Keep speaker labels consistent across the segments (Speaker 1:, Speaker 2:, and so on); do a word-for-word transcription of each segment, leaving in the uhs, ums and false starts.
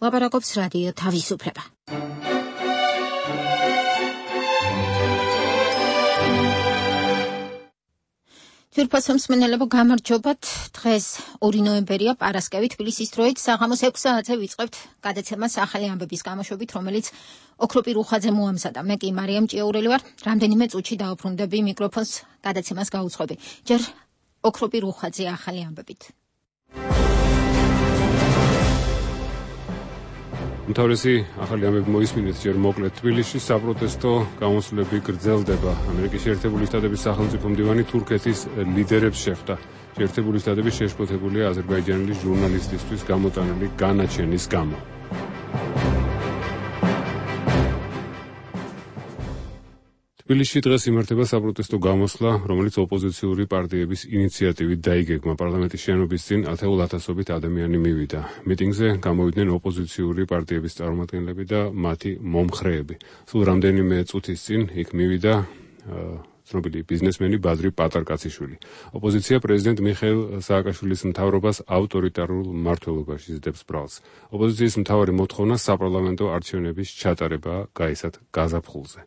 Speaker 1: ლაპარაკობს რადიო თავისუფლება. თვირფასო მსმენელებო, გამარჯობათ. დღეს ორი ნოემბერია, პარასკევი, თბილისის დროით საღამოს ექვსი საათზე ვიწყებთ გადაცემას ახალი ამბების გამოშვებით, რომელიც ოქროპირ უხაძე მოამზადა. მე კი მარიამ ჭიაურელი ვარ. რამდენიმე წუთში დაუბრუნდები მიკროფონს, გადაცემას გაუძღვები. ჯერ ოქროპირ უხაძე ახალი ამბებით.
Speaker 2: უმთავრესი ახალი ამბები მოისმინეთ ჯერ მოკლედ. თბილისში საპროტესტო გამოსვლები გრძელდება. ამერიკის შეერთებული შტატების სახელმწიფო მდივანი თურქეთის ლიდერებს შეხვდა. შეერთებული შტატები შეშფოთებულია აზერბაიჯანელი ჟურნალისტისთვის გამოტანილი განაჩენის გამო. თბილისში დღეს იმართება საპროტესტო გამოსვლა, რომელიც ოპოზიციური პარტიების ინიციატივით დაიგეგმა. პარლამენტის შენობის წინ ათეულ ათასობით ადამიანი მივიდა. მიტინგზე გამოვიდნენ ოპოზიციური პარტიების წარმომადგენლები და მათი მომხრეები. სულ რამდენიმე წუთის წინ იქ მივიდა ცნობილი ბიზნესმენი ბადრი პატარკაციშვილი. ოპოზიცია პრეზიდენტ მიხეილ სააკაშვილის მთავრობას ავტორიტარულ მმართველობაში ზრდებს ბრალს. ოპოზიციის მთავარი მოთხოვნა საპარლამენტო არჩევნების ჩატარება გაისად გაზაფხულზე.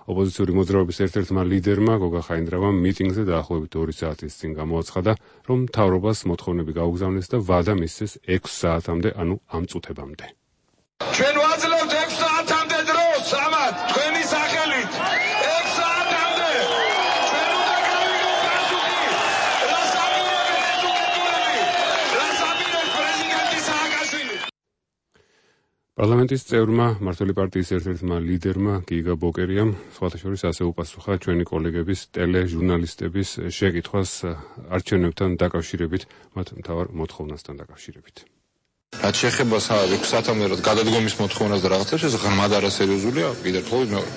Speaker 2: ოპოზიციური მოძრაობის ერთ-ერთმა ლიდერმა გოგა ხაინდრავამ მიტინგზე დაახლოებით ორი საათის წინ გამოაცხადა, რომ მთავრობას მოთხოვნები გაუგზავნეს და ვადა მისცეს ექვს საათამდე, ანუ ამ წუთებამდე.
Speaker 3: ჩვენ ვაძლევთ ექვს საათამდე დროს, ამათ თქვენი სახელით. ექვს საათამდე. ჩვენ უნდა გავიგოთ პასუხი. რას აპირებს ეზუკეთურები? რას აპირებს პრეზიდენტი სააკაშვილი?
Speaker 2: პარლამენტის წევრმა, მმართველი პარტიის ერთ-ერთმა ლიდერმა გიგა ბოკერიამ სხვათა შორის ასე უპასუხა ჩვენი კოლეგების ტელეჟურნალისტების შეკითხვას არჩევნებთან დაკავშირებით, მათ მთავარ მოთხოვნასთან დაკავშირებით.
Speaker 3: რაც შეეხება ექვს საათამდე გადადგომის მოთხოვნას და რაღაცებს, ეს ღრმად არასერიოზულია, კიდევ ერთხელ მეორე.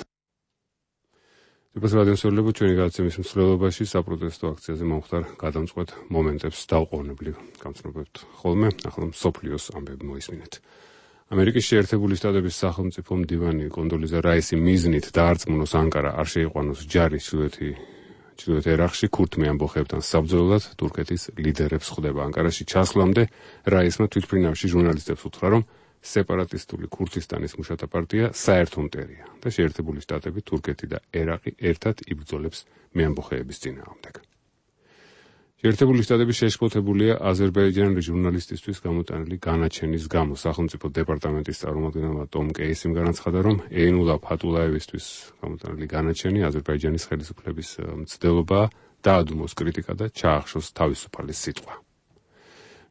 Speaker 2: თვირფასო რადიომსმენელებო, ჩვენი გადაცემის მსვლელობაში საპროტესტო აქციაზე მომხდარ გადამწყვეტ მომენტებს დაუყოვნებლივ გამცნობებთ ხოლმე. ახლა მსოფლიოს ამბები მოისმინეთ. ამერიკის შეერთებული შტატების სახელმწიფო მდივანი კონდოლიზა რაისი მიზნით დაარწმუნოს ანკარა არ შეიყვანოს ჯარის ჩრდილოეთ ერაყში ქურთმე ამბოხებთან საბრძოლოდ თურქეთის ლიდერებს ხვდება. ანკარაში ჩასვლამდე რაისმა თვითმფრინავში ჟურნალისტებს უთხრა, რომ სეპარატისტული ქურთისტანის მუშათა პარტია საერთო მტერია და შეერთებული შტატები, თურქეთი და ერაყი ერთად იბრძოლებს მეამბოხეების წინააღმდეგ. შეერთებული შტატები შეშფოთებულია აზერბაიჯანელი ჟურნალისტისთვის გამოტანილი განაჩენის გამო. სახელმწიფო დეპარტამენტის წარმომადგენელმა ტომ კეისიმ განაცხადა, რომ ეინულა ფატულაევისთვის გამოტანილი განაჩენი აზერბაიჯანის ხელისუფლების მცდელობაა, დაადუმოს კრიტიკა და ჩაახშოს თავისუფალი სიტყვა.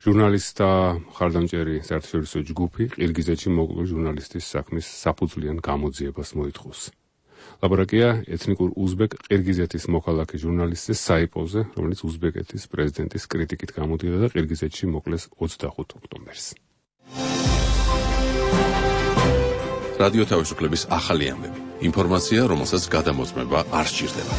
Speaker 2: ჟურნალისტთა მხარდამჭერი საერთაშორისო ჯგუფი ყირგიზეთში მოკლული ჟურნალისტის საქმის საფუძვლიან გამოძიებას მოითხოვს. ლაპარაკია ეთნიკურ უზბეკ ყირგიზეთის მოქალაქე ჟურნალისტის საიპოვზე, რომელიც უზბეკეთის პრეზიდენტის კრიტიკით გამოდიოდა და ყირგიზეთში მოკლეს ოცდახუთ ოქტომბერს.
Speaker 4: რადიო თავისუფლების ახალი ამბები. ინფორმაცია, რომელსაც გადამოწმება არ სჭირდება.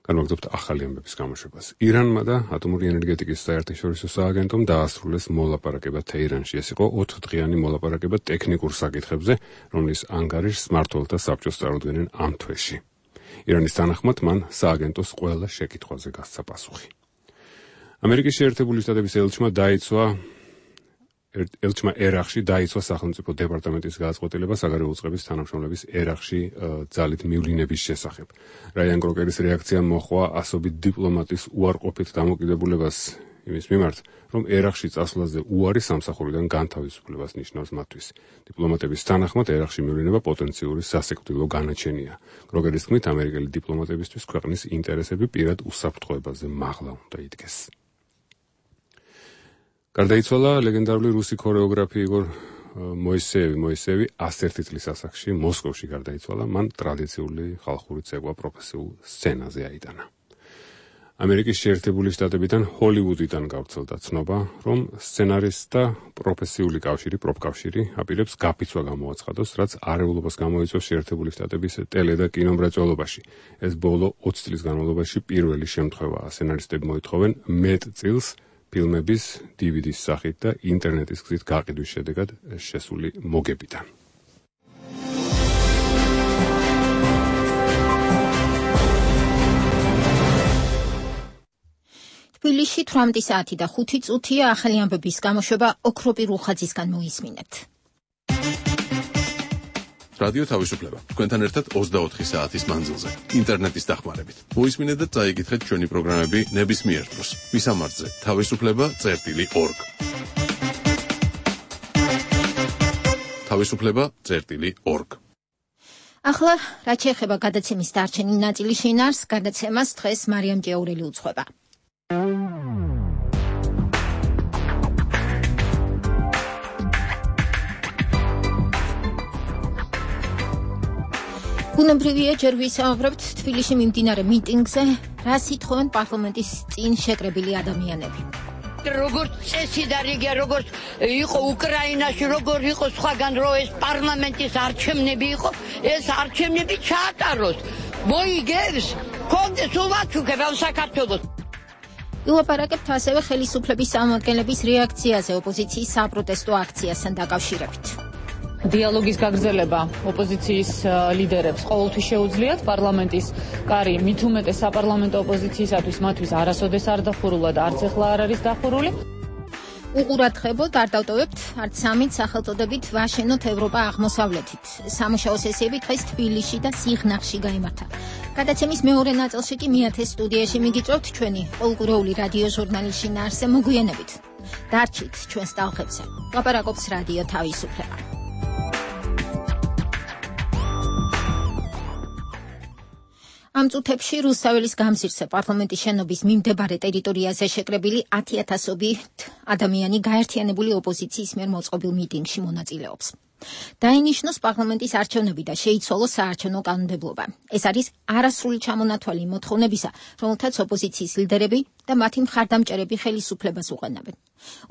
Speaker 4: განვაგრძობთ ახალი ამბების გამოშვებას. ირანმა და ატომური ენერგეტიკის საერთაშორისო სააგენტომ დაასრულეს მოლაპარაკება თეირანში. ეს იყო ოთხდღიანი მოლაპარაკება ტექნიკურ საკითხებზე, რომლის ანგარიშს მმართველთა საბჭოს წარუდგენენ ამ თვეში. ირანის თანახმად მან სააგენტოს ყველა შეკითხვაზე გასცა პასუხი. ამერიკის შეერთებული შტატების ელჩმა დაიცვა ელჩმა ერაყში დაიცვა სახელმწიფო დეპარტამენტის გადაწყვეტილება საგარეო უწყების თანამშრომლების ერაყში ძალით მივლინების შესახებ. რაიან კროკერის რეაქცია მოჰყვა ასობით დიპლომატის უარყოფით დამოკიდებულებას იმის მიმართ, რომ ერაყში წასვლაზე უარი სამსახურიდან განთავისუფლებას ნიშნავს მათთვის. დიპლომატების თანახმად ერაყში მივლინება პოტენციური სასიკვდილო განაჩენია. კროკერის თქმით, ამერიკელი დიპლომატებისთვის ქვეყნის ინტერესები პირად უსაფრთხოებაზე მაღლა უნდა იდგეს. გარდაიცვალა ლეგენდარული რუსი ქორეოგრაფი იგორ მოისეევი. მოისეევი ასერთი წლის ასაკში მოსკოვში გარდაიცვალა. მან ტრადიციული ხალხური ცეკვა პროფესიულ სცენაზე აიტანა. ამერიკის შეერთებული შტატებიდან ჰოლივუდიდან გავრცელდა ცნობა, რომ სცენარისტთა პროფესიული კავშირი, პროფკავშირი აპირებს გაფიცვა გამოაცხადოს, რაც არეულობას გამოიწვევს შეერთებული შტატების ტელე და კინომრეწველობაში. ეს ბოლო ოცი წლის განმავლობაში პირველი შემთხვევაა. სცენარისტები მოითხოვენ მეტ წილს ფილმების დი ვი დის სახით და ინტერნეტის გზით გაყიდვის შედეგად შესული მოგებიდან.
Speaker 1: თბილისში თვრამეტი საათი და ხუთი წუთია. ახალი ამბების გამოშვება ოქროპი რუხაძისგან მოისმინეთ.
Speaker 5: რადიო თავისუფლება. თქვენთან ერთად ოცდაოთხი საათის მანძილზე. ინტერნეტის დახმარებით. მოისმინეთ და წაიკითხეთ ჩვენი პროგრამები ნებისმიერ დროს. მისამართზე თავისუფლება წერტილი ორგ. თავისუფლება წერტილი ორგ.
Speaker 1: ახლა რაც შეეხება გადაცემის დარჩენილ ნაწილის შინაარსს, გადაცემას დღეს მარიამ ჭიაურელი უძღვება. ბუნებრივია, ჯერ ვისაუბრებთ თბილისში მიმდინარე მიტინგზე, რას ითხოვენ პარლამენტის წინ შეკრებილი ადამიანები.
Speaker 6: როგორც წესი და რიგია, როგორც იყო უკრაინაში, როგორ იყო სხვაგან, რომ ეს პარლამენტის არჩევნები იყო, ეს არჩევნები ჩაატაროს. მოიგებს, კონდეს უბაჩუქებავ საქართველოს.
Speaker 1: ილაპარაკებთ ასევე ხელისუფლების წარმომადგენლების რეაქციაზე ოპოზიციის საპროტესტო აქციასთან დაკავშირებით.
Speaker 7: დიალოგის გაგრძელება ოპოზიციის ლიდერებს ყოველთვის შეუძლიათ. პარლამენტის კარი მით უმეტეს საპარლამენტო ოპოზიციისათვის მათთვის არასოდეს არ დახურულა და არც ახლა არ არის დახურული.
Speaker 1: უყურადღებოდ არ დავტოვებთ არც სამით სახელწოდებით ვაშენოთ ევროპა აღმოსავლეთით. სამუშაო სესიები დღეს თბილისში და სიღნაღში გაიმართა. გადაცემის მეორე ნაწილში კი მეათეს სტუდიაში მიგიწევთ ჩვენი პოლკურეული რადიო ჟურნალის შინაარსზე მოგვიანებით. დარჩით ჩვენს ტალღებზე. ლაპარაკობს რადიო თავისუფლება. ამ წუთებში რუსთაველის გამზირზე პარლამენტის შენობის მიმდებარე ტერიტორიაზე შეკრებილი ათი ათასობით ადამიანი გაერთიანებული ოპოზიციის მიერ მოწყობილ მიტინგში მონაწილეობს. დაინიშნოს პარლამენტის არჩევნები და შეიცვალოს საარჩევნო კანონმდებლობა. ეს არის არასრული ჩამონათვალი მოთხოვნებისა, რომელთაც ოპოზიციის ლიდერები და მათი მხარდამჭერები ხელისუფლებას უყენებენ.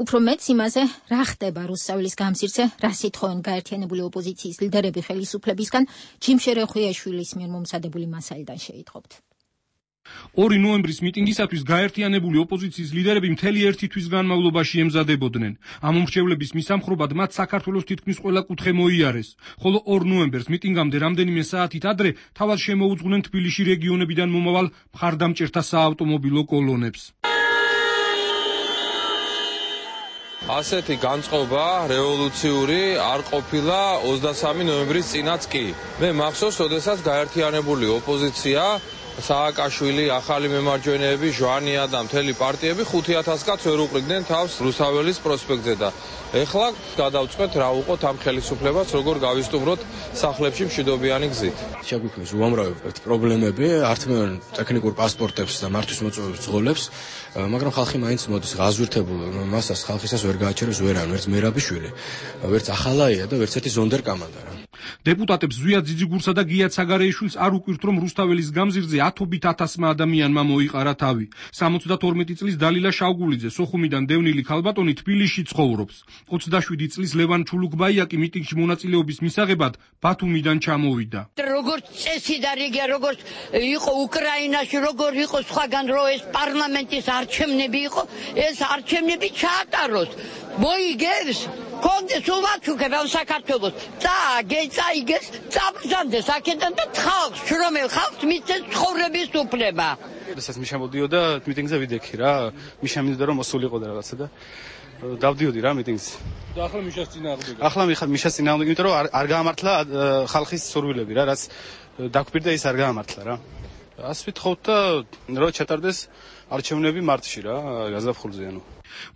Speaker 1: უფრო მეც იმაზე, რა ხდება რუსთაველის გამზირზე, რას ითხოვენ გაერთიანებული ოპოზიციის ლიდერები ხელისუფლებისგან, ჯიმშე რეხვიაშვილის მიერ მომზადებული მასალიდან შეიტყობთ.
Speaker 8: ორი ნოემბრის მიტინგისათვის გაერთიანებული ოპოზიციის ლიდერები მთელი ერთი თვის განმავლობაში ემზადებოდნენ. ამ უმრჩევლების მისამხრობად მათ საქართველოს თითქმის ყველა კუთხე მოიარეს, ხოლო ორ ნოემბერს მიტინგამდე რამდენიმე საათით ადრე თავად შემოუძღვნენ თბილისში რეგიონებიდან მომავალ მხარდამჭერთა საავტომობილო კოლონებს.
Speaker 3: ასეთი განწყობა რევოლუციური არ ყოფილა ოცდასამი ნოემბრის წინაც კი. მე მახსოვს, როდესაც გაერთიანებული ოპოზიცია სააკაშვილი, ახალი მემარჯვენეები, ჟვანია და მთელი პარტიები ხუთი ათას კაცს ვერ უყრიდნენ თავს რუსთაველის პროსპექტზე და ეხლა გადავწყვეთ რა უყოთ ამ ხელისუფლებას, როგორ გავისტუმროთ სახლებში მშვიდობიანი გზით.
Speaker 9: შეგვიქმნის უამრავი პრობლემები, ართმევენ ტექნიკურ პასპორტებს და მართვის მოწვევის ძღოლებს, მაგრამ ხალხი მაინც მოდის ღაზვირთებულ მასას ხალხისას ვერ გააჩერებს ვერან, ვერც მერაბიშვილი, ვერც ახალაია და ვერც ერთი ზონდერკამანდა რა.
Speaker 8: დეპუტატებს ზვიად ძიძიგურსა და გია ცაგარეიშვილს არ უკვირთ, რომ რუსთაველის გამზირზე ათობით ათასმა ადამიანმა მოიყარა თავი. სამოცდათორმეტი წლის დალილა შავგულიძე, სოხუმიდან დევნილი ქალბატონი თბილისში ცხოვრობს. ოცდაშვიდი წლის ლევან ჩულუკბაიაკი მიტინგში მონაწილეობის მისაღებად ბათუმიდან ჩამოვიდა.
Speaker 6: როგორც წესი და რიგია, როგორც იყო უკრაინაში, როგორ იყო სხვაგან, რომ ეს პარლამენტის არჩევნები იყო, ეს არჩევნები ჩაატაროს. მოიგებს, კონდეს უბაჩუქებავ საქართველოს. წააგე, წაიგეს, წაბრძანდეს აქედან და ხალხს, შრომელ ხალხს მისცეს ცხოვრების უფლება.
Speaker 10: როდესაც მიშა მოდიოდა მიტინგზე ვიდექი რა, მიშა მინდოდა რომ მოსულიყო და რაღაცა და დავდიოდი რა მიტინგზე.
Speaker 8: და ახლა მიშას წინააღმდეგ.
Speaker 10: ახლა მიშას წინააღმდეგ, იმიტომ რომ არ, არ გაამართლა ხალხის სურვილები რა, რაც დაგვირდა ის არ გაამართლა რა. ასე ვთხოვთ და რომ ჩატარდეს არჩევნები მარტში რა, გაზაფხულზე ანუ.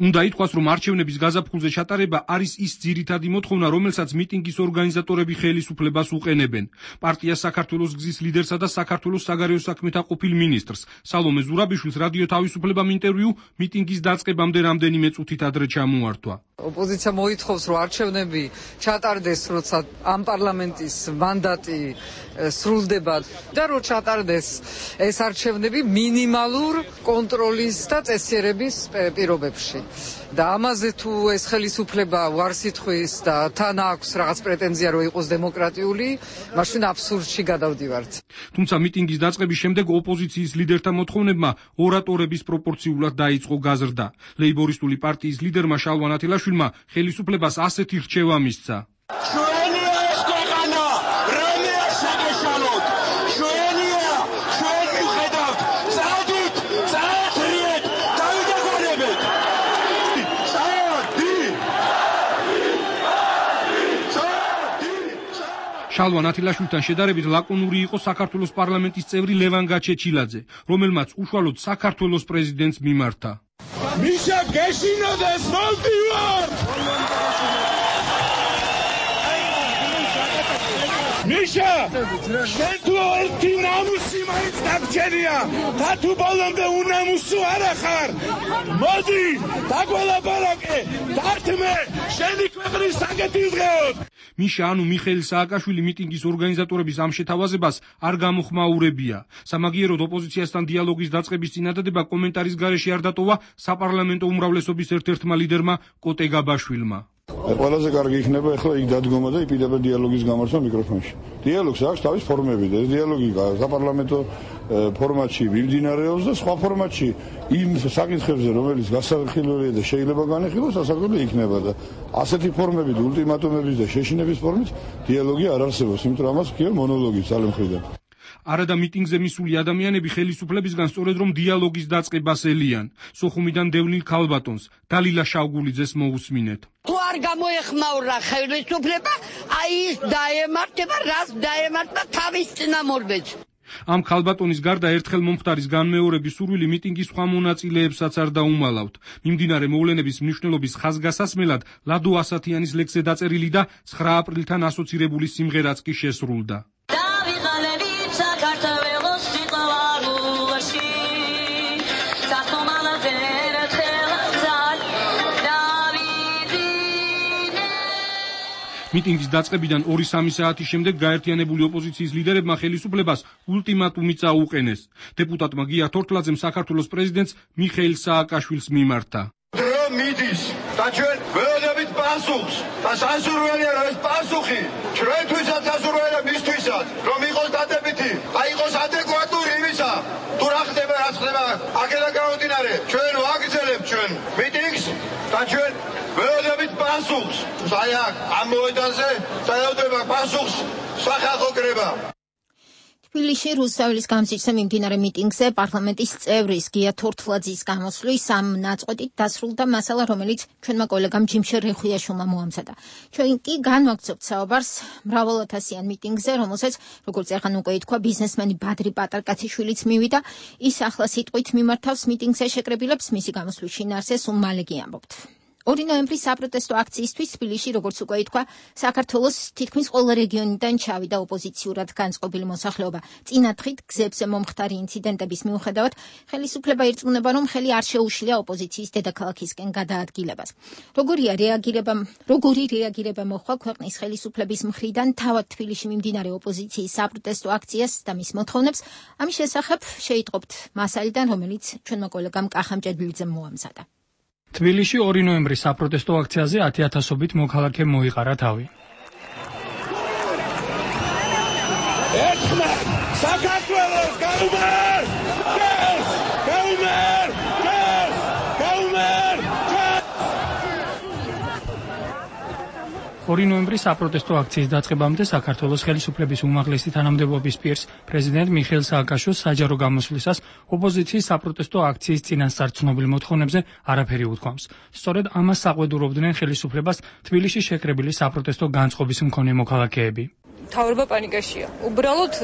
Speaker 8: უნდა ითქვას, რომ არჩევნების გაზაფხულზე ჩატარება არის ის ძირითადი მოთხოვნა, რომელსაც მიტინგის ორგანიზატორები ხელისუფლებას უყენებენ. პარტია საქართველოს გზის ლიდერსა და საქართველოს საგარეო საქმეთა ყოფილ მინისტრს სალომე ზურაბიშვილს რადიო თავისუფლებამ ინტერვიუ მიტინგის დაწყებამდე რამდენიმე წუთით ადრე ჩამოართვა.
Speaker 11: ოპოზიცია მოითხოვს, რომ არჩევნები ჩატარდეს, როცა ამ პარლამენტის მანდატი სრულდება და რომ ჩატარდეს ეს არჩევნები მინიმალურ კონტროლის და წესიერების პირობებში. და ამაზე თუ ეს ხელისუფლება ვარს ითხოვს და თან აქვს რაღაც პრეტენზია რომ იყოს დემოკრატიული, მაშინ აბსურდში გადავდივართ.
Speaker 8: თუმცა მიტინგის დაწყების შემდეგ ოპოზიციის ლიდერთა მოთხოვნებმა ორატორების პროპორციულად დაიწყო გაზრდა. ლეიბორისტული პარტიის ლიდერმა შალვან ათილაშვილმა ხელისუფლებას ასეთი რჩევა მისცა.
Speaker 12: ჩვენია ეს ქვეყანა, რამე არ შეგეშალოთ. ჩვენია, ჩვენ მიხედავთ. წადით, წაათრიეთ, დავიდეთ
Speaker 8: შალვა ნათილაშვილთან შედარებით ლაკონური იყო საქართველოს პარლამენტის წევრი ლევან გაჩეჩილაძე, რომელმაც უშუალოდ საქართველოს პრეზიდენტს მიმართა.
Speaker 12: მიშა გეშინოდეს მოვდივარ! მიშა, შენ თუ ერთი ნამუსი მაინც დაგჭერია, და თუ ბოლომდე უნამუსო არა ხარ. მოდი, დაგველაპარაკე, დართმე, შენი ქვეყნის საკეთი ვღეოთ.
Speaker 8: მიშა ანუ მიხეილ სააკაშვილი მიტინგის ორგანიზატორების ამ შეთავაზებას არ გამოხმაურებია. სამაგიეროდ ოპოზიციასთან დიალოგის დაწყების წინადადება კომენტარის გარეშე არ დატოვა საპარლამენტო უმრავლესობის ერთ-ერთმა ლიდერმა კოტე გაბაშვილმა.
Speaker 13: ყველაზე კარგი იქნება ახლა იქ დადგომა და იპირება დიალოგის გამართვა მიკროფონში. დიალოგს აქვს თავის ფორმები და ეს დიალოგი საპარლამენტო ფორმატში მიმდინარეობს და სხვა ფორმატში იმ საკითხებზე, რომელიც გასახილველია და შეიძლება განეხილოს, სასაკვირველი იქნება და ასეთი ფორმებით, ულტიმატუმების და შეშინების ფორმით დიალოგი არ არსებობს, იმიტომ რომ ამას ხია მონოლოგი ძალე მხრიდან.
Speaker 8: არადა მიტინგზე მისული ადამიანები ხელისუფლებისგან სწორედ რომ დიალოგის დაწყებას ელიან. სოხუმიდან დევნილ ქალბატონს დალილა შავგულიძეს მოусმინეთ.
Speaker 6: თუ არ გამოეხმაურა ხელისუფლება, აი ის დაემართება, რას დაემართება თავის წინამორბედს.
Speaker 8: ამ ქალბატონის გარდა ერთხელ მომხდარის განმეორების სურვილი მიტინგის სხვა მონაწილეებსაც არ დაუმალავთ. მიმდინარე მოვლენების მნიშვნელობის ხაზგასასმელად ლადო ასათიანის ლექსზე დაწერილი და ცხრა აპრილთან ასოცირებული სიმღერაც კი შესრულდა. მიტინგის დაწყებიდან ორი სამი საათის შემდეგ გაერთიანებული ოპოზიციის ლიდერებმა ხელისუფლებას ულტიმატუმი წაუყენეს. დეპუტატმა გია თორთლაძემ საქართველოს პრეზიდენტს მიხეილ სააკაშვილს მიმართა.
Speaker 12: დრო მიდის და ჩვენ ველოდებით პასუხს და სასურველია რომ ეს პასუხი ჩვენთვისაც სასურველია მისთვისაც რომ იყოს დადებითი, აი იყოს ადეკვატური იმისა თუ რა ხდება რა ხდება აქედან გამომდინარე ჩვენ ვაგრძელებთ ჩვენ მიტინგს და ჩვენ ველოდებით პასუხს აი აქ ამ მოედანზე დაელოდება პასუხს სახალხო კრება.
Speaker 1: თბილისში რუსთაველის გამზირზე მიმდინარე მიტინგზე პარლამენტის წევრის გია თორთლაძის გამოსვლის ამ ნაწყვეტით დასრულდა მასალა, რომელიც ჩვენმა კოლეგამ ჯიმშერ რეხვიაშვილმა მოამზადა. ჩვენ კი განვაგრძობთ საუბარს მრავალათასიან მიტინგზე, რომელსაც, როგორც ახლა უკვე ითქვა, ბიზნესმენი ბადრი პატარკაციშვილიც მივიდა. ის ახლა სიტყვით მიმართავს მიტინგზე შეკრებილებს, მისი გამოსვლის შინაარსეს უმალე კი ამბობთ. ორი ნოემბრის საპროტესტო აქციისთვის თბილისში, როგორც უკვე ითქვა, საქართველოს თითქმის ყველა რეგიონიდან ჩავიდა ოპოზიციურად განწყობილი მოსახლეობა. წინა დღით გზებზე მომხდარი ინციდენტების მიუხედავად, ხელისუფლება ირწმუნება, რომ ხელი არ შეუშლია ოპოზიციის დედაქალაქისკენ გადაადგილებას. როგორია რეაგირება, როგორი რეაგირება მოხდა ქვეყნის ხელისუფლების მხრიდან თავად თბილისში მიმდინარე ოპოზიციის საპროტესტო აქციას და მის მოთხოვნებს, ამის შესახებ შეიტყობთ მასალიდან, რომელიც ჩვენმა კოლეგამ კახა მჭედლიძემ მოამზადა.
Speaker 14: თბილისში ორი ნოემბრის საპროტესტო აქციაზე ათი ათასობით მოქალაქე მოიყარა თავი.
Speaker 12: ერთხმად საქართველოს გაუმარ! გეს! გაუმარ! გეს! გაუმარ!
Speaker 14: ორი ნოემბრის საპროტესტო აქციის დაწყებამდე საქართველოს ხელისუფლების უმაღლესი თანამდებობის პირს პრეზიდენტ მიხეილ სააკაშვილს საჯარო გამოსვლისას ოპოზიციის საპროტესტო აქციის წინასწარ ცნობილ მოთხოვნებზე არაფერი უთქვამს. სწორედ ამას საყვედურობდნენ ხელისუფლებას თბილისში შეკრებილი საპროტესტო განწყობის მქონე მოქალაქეები.
Speaker 15: მთავრობა პანიკაშია. უბრალოდ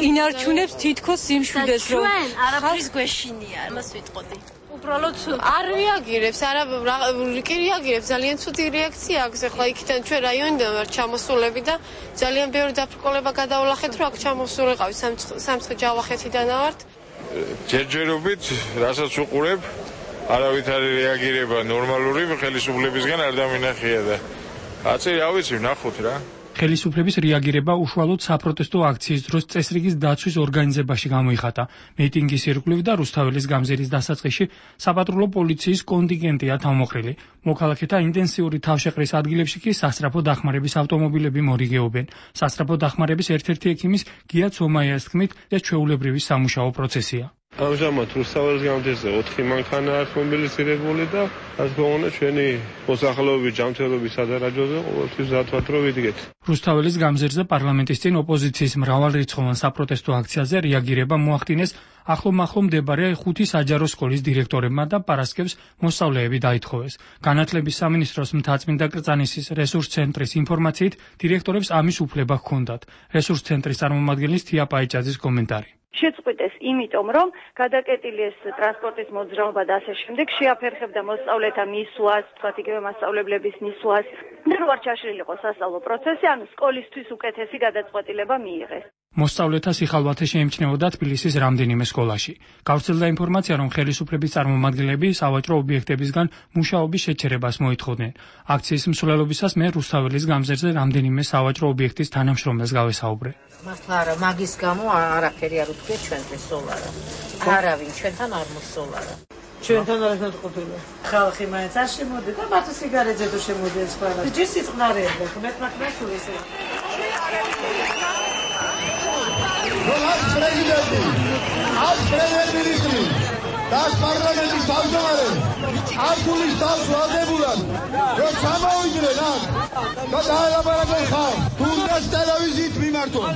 Speaker 15: ინარჩუნებს თითქოს სიმშვიდეს, რომ
Speaker 16: ჩვენ არაფრის გვეშინია, მას ვიტყოდი.
Speaker 15: უბრალოდ არ რეაგირებს, არა კი რეაგირებს, ძალიან ცუდი რეაქცია აქვს. ახლა იქიდან ჩვენ რაიონიდან ვარ ჩამოსულები და ძალიან ბევრი დაფრკოლება გადავლახეთ, რომ აქ ჩამოსულიყავი სამცხე ჯავახეთიდან ვართ.
Speaker 3: ჯერჯერობით, რასაც უყურებ, არავითარი რეაგირება ნორმალური ხელისუფლებისგან არ დამინახია და აცი რა ვიცი, ნახოთ რა.
Speaker 14: ხელისუფლების რეაგირება უშუალოდ საპროტესტო აქციის დროს წესრიგის დაცვის ორგანიზებაში გამოიხატა. მიტინგის ირგვლივ და რუსთაველის გამზირის დასაწყისში საპატრულო პოლიციის კონტინგენტია თავმოყრილი. მოქალაქეთა ინტენსიური თავშეყრის ადგილებში კი სასწრაფო დახმარების ავტომობილები მორიგეობენ. სასწრაფო დახმარების ერთ-ერთი ექიმის გია ცომაიას თქმით, ეს ჩვეულებრივი სამუშაო პროცესია.
Speaker 17: ამჟამად რუსთაველის გამზირზე ოთხი მანქანა აქვს მობილიზირებული და ასე გვეუბნება ჩვენი მოსახლეობის ჯანმრთელობის სადარაჯოზე ყოველთვის დათვათ რომ ვიდგეთ.
Speaker 14: რუსთაველის გამზირზე პარლამენტის წინ ოპოზიციის მრავალრიცხოვან საპროტესტო აქციაზე რეაგირება მოახდინეს ახლომახლო მდებარე ხუთი საჯარო სკოლის დირექტორებმა და პარასკევს მოსწავლეები დაითხოვეს. განათლების სამინისტროს მთაწმინდა კრწანისის რესურს ცენტრის ინფორმაციით დირექტორებს ამის უფლება ჰქონდათ. რესურს ცენტრის წარმომადგენლის თია პაიჭაძის კომენტარი.
Speaker 18: შეწყვიტეს იმიტომ, რომ გადაკეტილი ეს ტრანსპორტის მოძრაობა და ასე შემდეგ შეაფერხებდა მოსწავლეთა მისვლას, თქვათ იგივე მასწავლებლების მისვლას, და რო არ ჩაშლილიყო სასწავლო პროცესი, ანუ სკოლისთვის უკეთესი გადაწყვეტილება მიიღეს.
Speaker 14: მოსწავლეთა სიხალვათე შეიმჩნეოდა თბილისის რამდენიმე სკოლაში. გავრცელდა ინფორმაცია, რომ ხელისუფლების წარმომადგენლები სავაჭრო ობიექტებისგან მუშაობის შეჩერებას მოითხოვდნენ. აქციის მსვლელობისას მე რუსთაველის გამზირზე რამდენიმე სავაჭრო ობიექტის თანამშრომელს გავესაუბრე.
Speaker 19: მართლა არა, მაგის გამო არაფერი არ უთქვია ჩვენთვის სოლარა. არავინ ჩვენთან არ მოსოლარა.
Speaker 20: ჩვენთან არ მოწყობილა. ხალხი მაინც არ შემოდიდა, მარტო სიგარეტზე თუ შემოდიეს ყველა. ჯერ სიწყნარეებდა, მე მაგას ვისე.
Speaker 12: Rolls პრეზიდენტი, ას პრემიერ-მინისტრი და პარლამენტის თავმჯდომარე არქულის თავს ვალდებულად რომ ჩამოვიდნენ აქ და დაელაპარაკონ ხალხს, თუნდაც ტელევიზიით მიმართონ.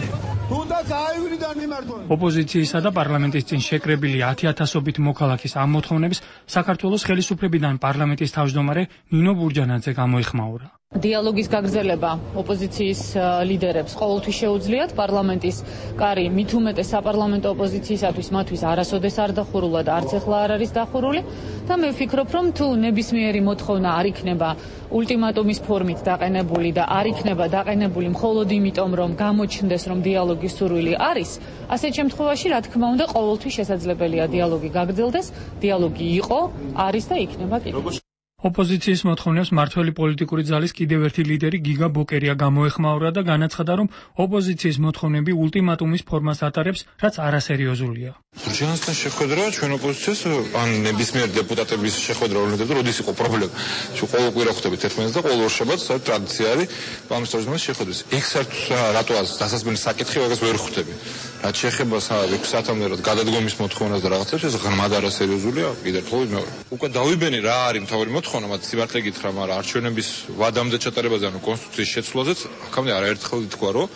Speaker 14: ოპოზიციისა და პარლამენტის წინ შეკრებილი ათი ათასობით მოქალაქის ამ მოთხოვნებს საქართველოს ხელისუფლებიდან პარლამენტის თავმჯდომარე ნინო ბურჯანაძე გამოიხმაურა.
Speaker 7: დიალოგის გაგრძელება ოპოზიციის ლიდერებს ყოველთვის შეუძლიათ. პარლამენტის კარი მით უმეტეს საპარლამენტო ოპოზიციისათვის მათთვის არასოდეს არ დახურულა და არც ახლა არ არის დახურული და მე ვფიქრობ, რომ თუ ნებისმიერი მოთხოვნა არ იქნება ულტიმატუმის ფორმით დაყენებული და არ იქნება დაყენებული მხოლოდ იმიტომ, რომ გამოჩნდეს, რომ დიალოგის სურვილი არის, ასეთ შემთხვევაში, რა თქმა უნდა, ყოველთვის შესაძლებელია დიალოგი გაგრძელდეს, დიალოგი იყო, არის და იქნება კიდევ.
Speaker 14: ოპოზიციის მოთხოვნებს მართველი პოლიტიკური ძალის კიდევ ერთი ლიდერი გიგა ბოკერია გამოეხმაურა და განაცხადა, რომ ოპოზიციის მოთხოვნები ულტიმატუმის ფორმას ატარებს, რაც არასერიოზულია.
Speaker 3: ბურჯანაძესთან შეხვედრა ჩვენ ოპოზიციას ან ნებისმიერ დეპუტატების შეხვედრა ორნებდა, როდის იყო პრობლემა. ჩვენ ყოველ კვირა ხვდებით ერთმანეთს და ყოველ ორ შაბათს საერთოდ ტრადიცია არის პარლამენტის შეხვედრის. ეგ საერთოდ რატო დასასწრებელი საკითხი ვაგას ვერ ხვდები. რაც შეეხება ექვსი საათამდე გადადგომის მოთხოვნას და რაღაცებს, ეს ღრმად არასერიოზულია. კიდევ ხოლმე მეორე. უკვე დავიბენი რა არის მთავარი მოთხოვნა, მათ სიმართლე გითხრა, მაგრამ არჩევნების ვადამდე ჩატარებაზე, ანუ კონსტიტუციის შეცვლაზეც აქამდე არაერთხელ ითქვა, რომ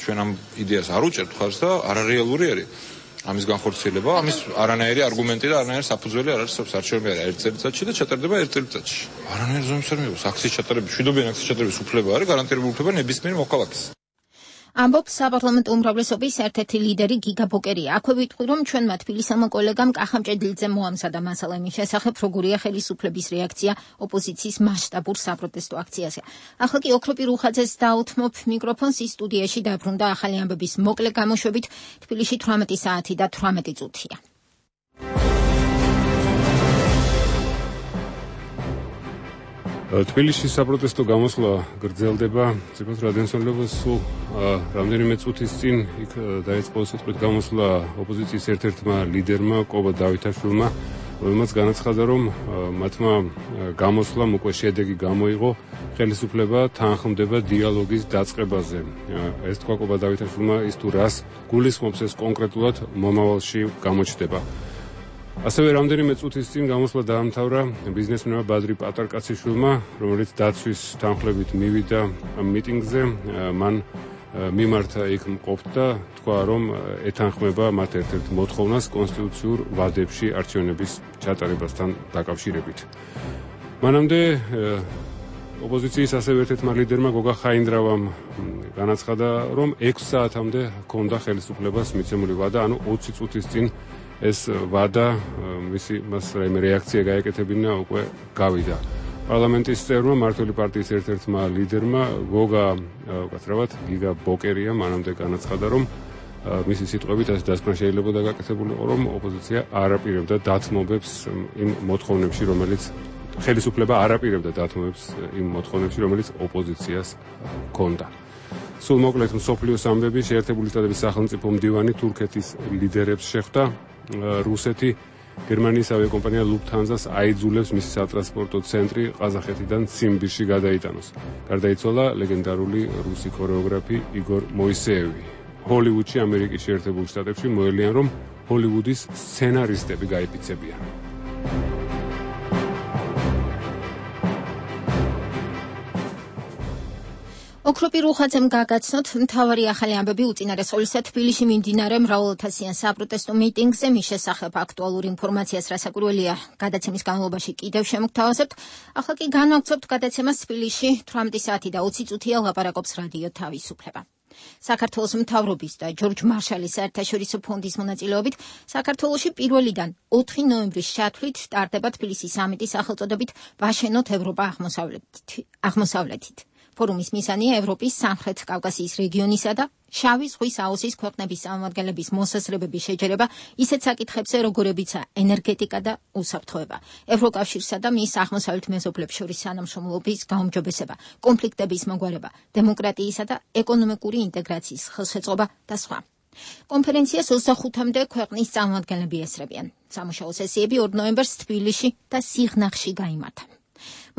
Speaker 3: ჩვენ ამ იდეას არ უჭერთ ხარს და არარეალური არის. ამის განხორციელება, ამის არანაირი არგუმენტი და არანაირი საფუძველი არ არის არჩევნები არის ერთ წელიწადში და ჩატარდება ერთ წელიწადში. არანაირი ზომის არ მიიღოს აქციის ჩატარების, მშვიდობიანი აქციის ჩატარების უფლება არის გარანტირებული უფლება ნებისმიერ მოქალაქეს.
Speaker 1: ამბობს საპარლამენტო უმრავლესობის ერთ-ერთი ლიდერი გიგა ბოკერია. აქვე ვიტყვი, რომ ჩვენმა თბილისელმა კოლეგამ კახა მჭედლიძემ მოამზადა მასალა იმის შესახებ, როგორია ხელისუფლების რეაქცია ოპოზიციის მასშტაბურ საპროტესტო აქციაზე. ახლა კი ოქროპი რუხაძეს დაუთმობ მიკროფონს, ის სტუდიაში დაბრუნდა ახალი ამბების მოკლე გამოშვებით. თბილისში თვრამეტი საათი და თვრამეტი წუთია.
Speaker 2: თბილისში საპროტესტო გამოსვლა გრძელდება. ციფრულ რადიოსმენელობას სულ რამდენიმე წუთის წინ იქ დაიწყო სიტყვით გამოსვლა ოპოზიციის ერთ-ერთმა ლიდერმა კობა დავითაშვილმა, რომელმაც განაცხადა, რომ მათმა გამოსვლამ უკვე შედეგი გამოიღო, ხელისუფლება თანხმდება დიალოგის დაწყებაზე. ეს თქვა კობა დავითაშვილმა, ის თუ რას გულისხმობს, ეს კონკრეტულად მომავალში გამოჩნდება. ასევე რამდენიმე წუთის წინ გამოსვლა დაამთავრა ბიზნესმენმა ბადრი პატარკაციშვილმა, რომელიც დაცვის თანხლებით მივიდა მიტინგზე. მან მიმართა იქ მყოფთ და თქვა, რომ ეთანხმება მათ ერთ-ერთ მოთხოვნას კონსტიტუციურ ვადებში არჩევნების ჩატარებასთან დაკავშირებით. მანამდე ოპოზიციის ასევე ერთ-ერთმა ლიდერმა გოგა ხაინდრავამ განაცხადა, რომ ექვსი საათამდე ჰქონდა ხელისუფლებას მიცემული ვადა, ანუ ოცი წუთის წინ ეს ვადა, მისი მას რაიმე რეაქცია გაეკეთებინა, უკვე გავიდა. პარლამენტის წევრმა, მართველი პარტიის ერთ-ერთმა ლიდერმა გოგა უკაცრავად გიგა ბოკერია მანამდე განაცხადა, რომ მისი სიტყვებით ასე დასკვნა შეიძლება გაკეთებულიყო, რომ ოპოზიცია არ აპირებდა დათმობებს იმ მოთხოვნებში, რომელიც ხელისუფლება არ აპირებდა დათმობებს იმ მოთხოვნებში, რომელიც ოპოზიციას ჰქონდა. სულ მოკლედ მსოფლიოს ამბები, შეერთებული შტატების სახელმწიფო მდივანი თურქეთის ლიდერებს შეხვდა. რუსეთი გერმანიის ავიაკომპანია ლუფთჰანზას აიძულებს მისი სატრანსპორტო ცენტრი ყაზახეთიდან ციმბირში გადაიტანოს. გარდაიცვალა ლეგენდარული რუსი ქორეოგრაფი იგორ მოისეევი. ჰოლივუდში, ამერიკის შეერთებულ შტატებში მოელიან, რომ ჰოლივუდის სცენარისტები გაიფიცებიან.
Speaker 1: ოქროპი რუხაძემ გაგაცნოთ მთავარი ახალი ამბები უწინარესწორისა თბილისში მიმდინარე მრავალათასიან საპროტესტო მიტინგზე, მის შესახებ აქტუალური ინფორმაციას რასაკვირველია გადაცემის განმავლობაში კიდევ შემოგთავაზებთ. ახლა კი განვაგრძობთ გადაცემას თბილისში ათი საათი და ოცი წუთია ლაპარაკობს რადიო თავისუფლება. საქართველოს მთავრობის და ჯორჯ მარშალის საერთაშორისო ფონდის მონაწილეობით საქართველოში პირველიდან ოთხი ნოემბრის ჩათვლით ტარდება თბილისის სამიტის სახელწოდებით ვაშენოთ ევროპა აღმოსავლეთით. ფორუმის მიზანია ევროპის სამხრეთ კავკასიის რეგიონისა და შავი ზღვის აუზის ქვეყნების წარმომადგენლების მოსაზრებების შეჯერება ისეთ საკითხებზე, როგორებიცაა ენერგეტიკა და უსაფრთხოება, ევროკავშირსა და მის აღმოსავლეთ მეზობლებს შორის თანამშრომლობის გაუმჯობესება, კონფლიქტების მოგვარება, დემოკრატიისა და ეკონომიკური ინტეგრაციის ხელშეწყობა და სხვა. კონფერენციას ოცდახუთამდე ქვეყნის წარმომადგენლები ესწრებიან. სამუშაო სესიები ორ ნოემბერს თბილისში და სიღნაღში გაიმართა.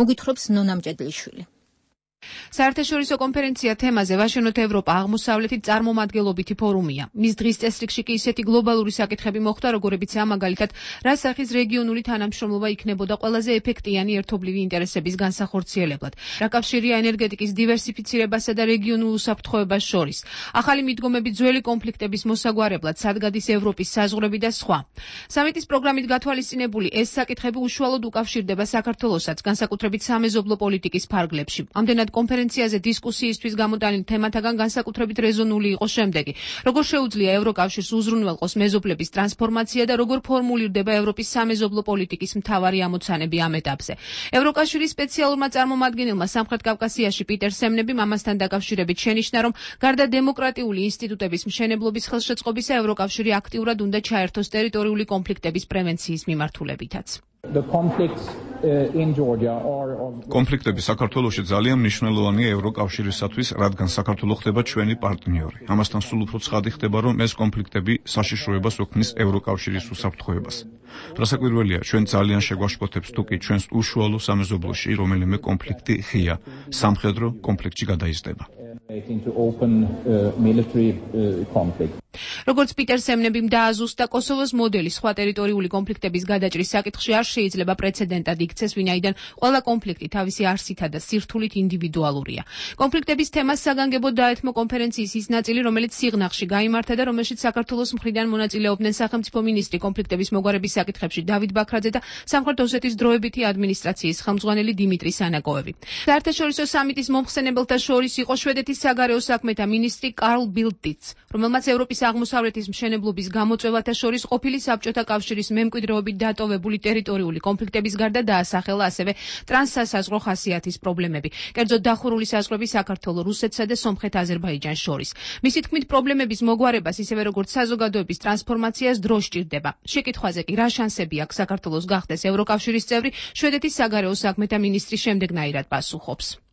Speaker 1: მოგვითხრობს ნონა მჭედლიშვილი.
Speaker 21: საერთაშორისო კონფერენცია თემაზე ვაშენოთ ევროპა აღმოსავლეთით წარმომადგენლობითი ფორუმია. მის დღის წესრიგში კი ისეთი გლობალური საკითხები მოხვდა, როგორებიცაა მაგალითად, რა სახის რეგიონული თანამშრომლობა იქნებოდა ყველაზე ეფექტიანი ერთობლივი ინტერესების განსახორციელებლად, რა კავშირია ენერგეტიკის დივერსიფიცირებასა და რეგიონულ უსაფრთხოებას შორის, ახალი მიდგომები ძველი კონფლიქტების მოსაგვარებლად, სადგადის ევროპის საზღვრები და სხვა. სამიტის პროგრამით გათვალისწინებული ეს საკითხები უშუალოდ უკავშირდება საქართველოსაც, განსაკუთრებით სამეზობლო პოლიტიკის ფარგლებში. ამდენად კონფერენციაზე დისკუსიისთვის გამოტანილ თემათაგან განსაკუთრებით რეზონული იყო შემდეგი: როგორ შეუძლია ევროკავშირს უზრუნველყოს მეზობლების ტრანსფორმაცია და როგორ ფორმულირდება ევროპის სამეზობლო პოლიტიკის მთავარი ამოცანები ამ ეტაპზე. ევროკავშირის სპეციალურმა წარმომადგენელმა სამხრეთ კავკასიაში პიტერ სემნებიმ ამასთან დაკავშირებით შენიშნა, რომ გარდა დემოკრატიული ინსტიტუტების მშენებლობის ხელშეწყობისა, ევროკავშირი აქტიურად უნდა ჩაერთოს ტერიტორიული კონფლიქტების პრევენციის მიმართულებითაც.
Speaker 22: კონფლიქტები საქართველოში ძალიან მნიშვნელოვანია ევროკავშირისათვის, რადგან საქართველო ხდება ჩვენი პარტნიორი. ამასთან სულ უფრო ცხადი ხდება, რომ ეს კონფლიქტები საშიშროებას ოქმნის ევროკავშირის უსაფრთხოებას. რასაკვირველია, ჩვენ ძალიან შეგვაშფოთებს თუ კი ჩვენს უშუალო სამეზობლოში რომელიმე კონფლიქტი ღია სამხედრო კონფლიქტში გადაიზრდება.
Speaker 21: როგორც პიტერ სემნებიმ დააზუსტა, კოსოვოს მოდელი სხვა ტერიტორიული კონფლიქტების გადაჭრის საკითხში არ შეიძლება პრეცედენტად იქცეს, ვინაიდან ყველა კონფლიქტი თავისი არსითა და სირთულით ინდივიდუალურია. კონფლიქტების თემას საგანგებოდ დაეთმო კონფერენციის ის ნაწილი, რომელიც სიღნაღში გაიმართა და რომელშიც საქართველოს მხრიდან მონაწილეობდნენ სახელმწიფო მინისტრი კონფლიქტების მოგვარების საკითხებში დავით ბაქრაძე და სამხრეთ ოსეთის დროებითი ადმინისტრაციის ხელმძღვანელი დიმიტრი სანაკოევი. საერთაშორისო სამიტის მომხსენებელთა შორის იყო შვედეთის საგარეო საქმეთა მინისტრი კარლ ბილდტიც, რომელმაც ევროპის აღმოსავლეთის მშენებლობის გამოწვევათა შორის ყოფილი საბჭოთა კავშირის მემკვიდრეობით დატოვებული ტერიტორიული კონფლიქტების გარდა დაასახელა ასევე ტრანსსასაზღვრო ხასიათის პრობლემები, კერძოდ დახურული საზღვრები საქართველოს, რუსეთსა და სომხეთ-აზერბაიჯანს შორის. მისი თქმით, პრობლემების მოგვარებას, ისევე როგორც საზოგადოების ტრანსფორმაციას დრო სჭირდება. შეკითხვაზე კი რა შანსები აქვს საქართველოს გახდეს ევროკავშირის წევრი, შვედეთის საგარეო საქმეთა მინისტრი შემდეგნაირად პასუხობს.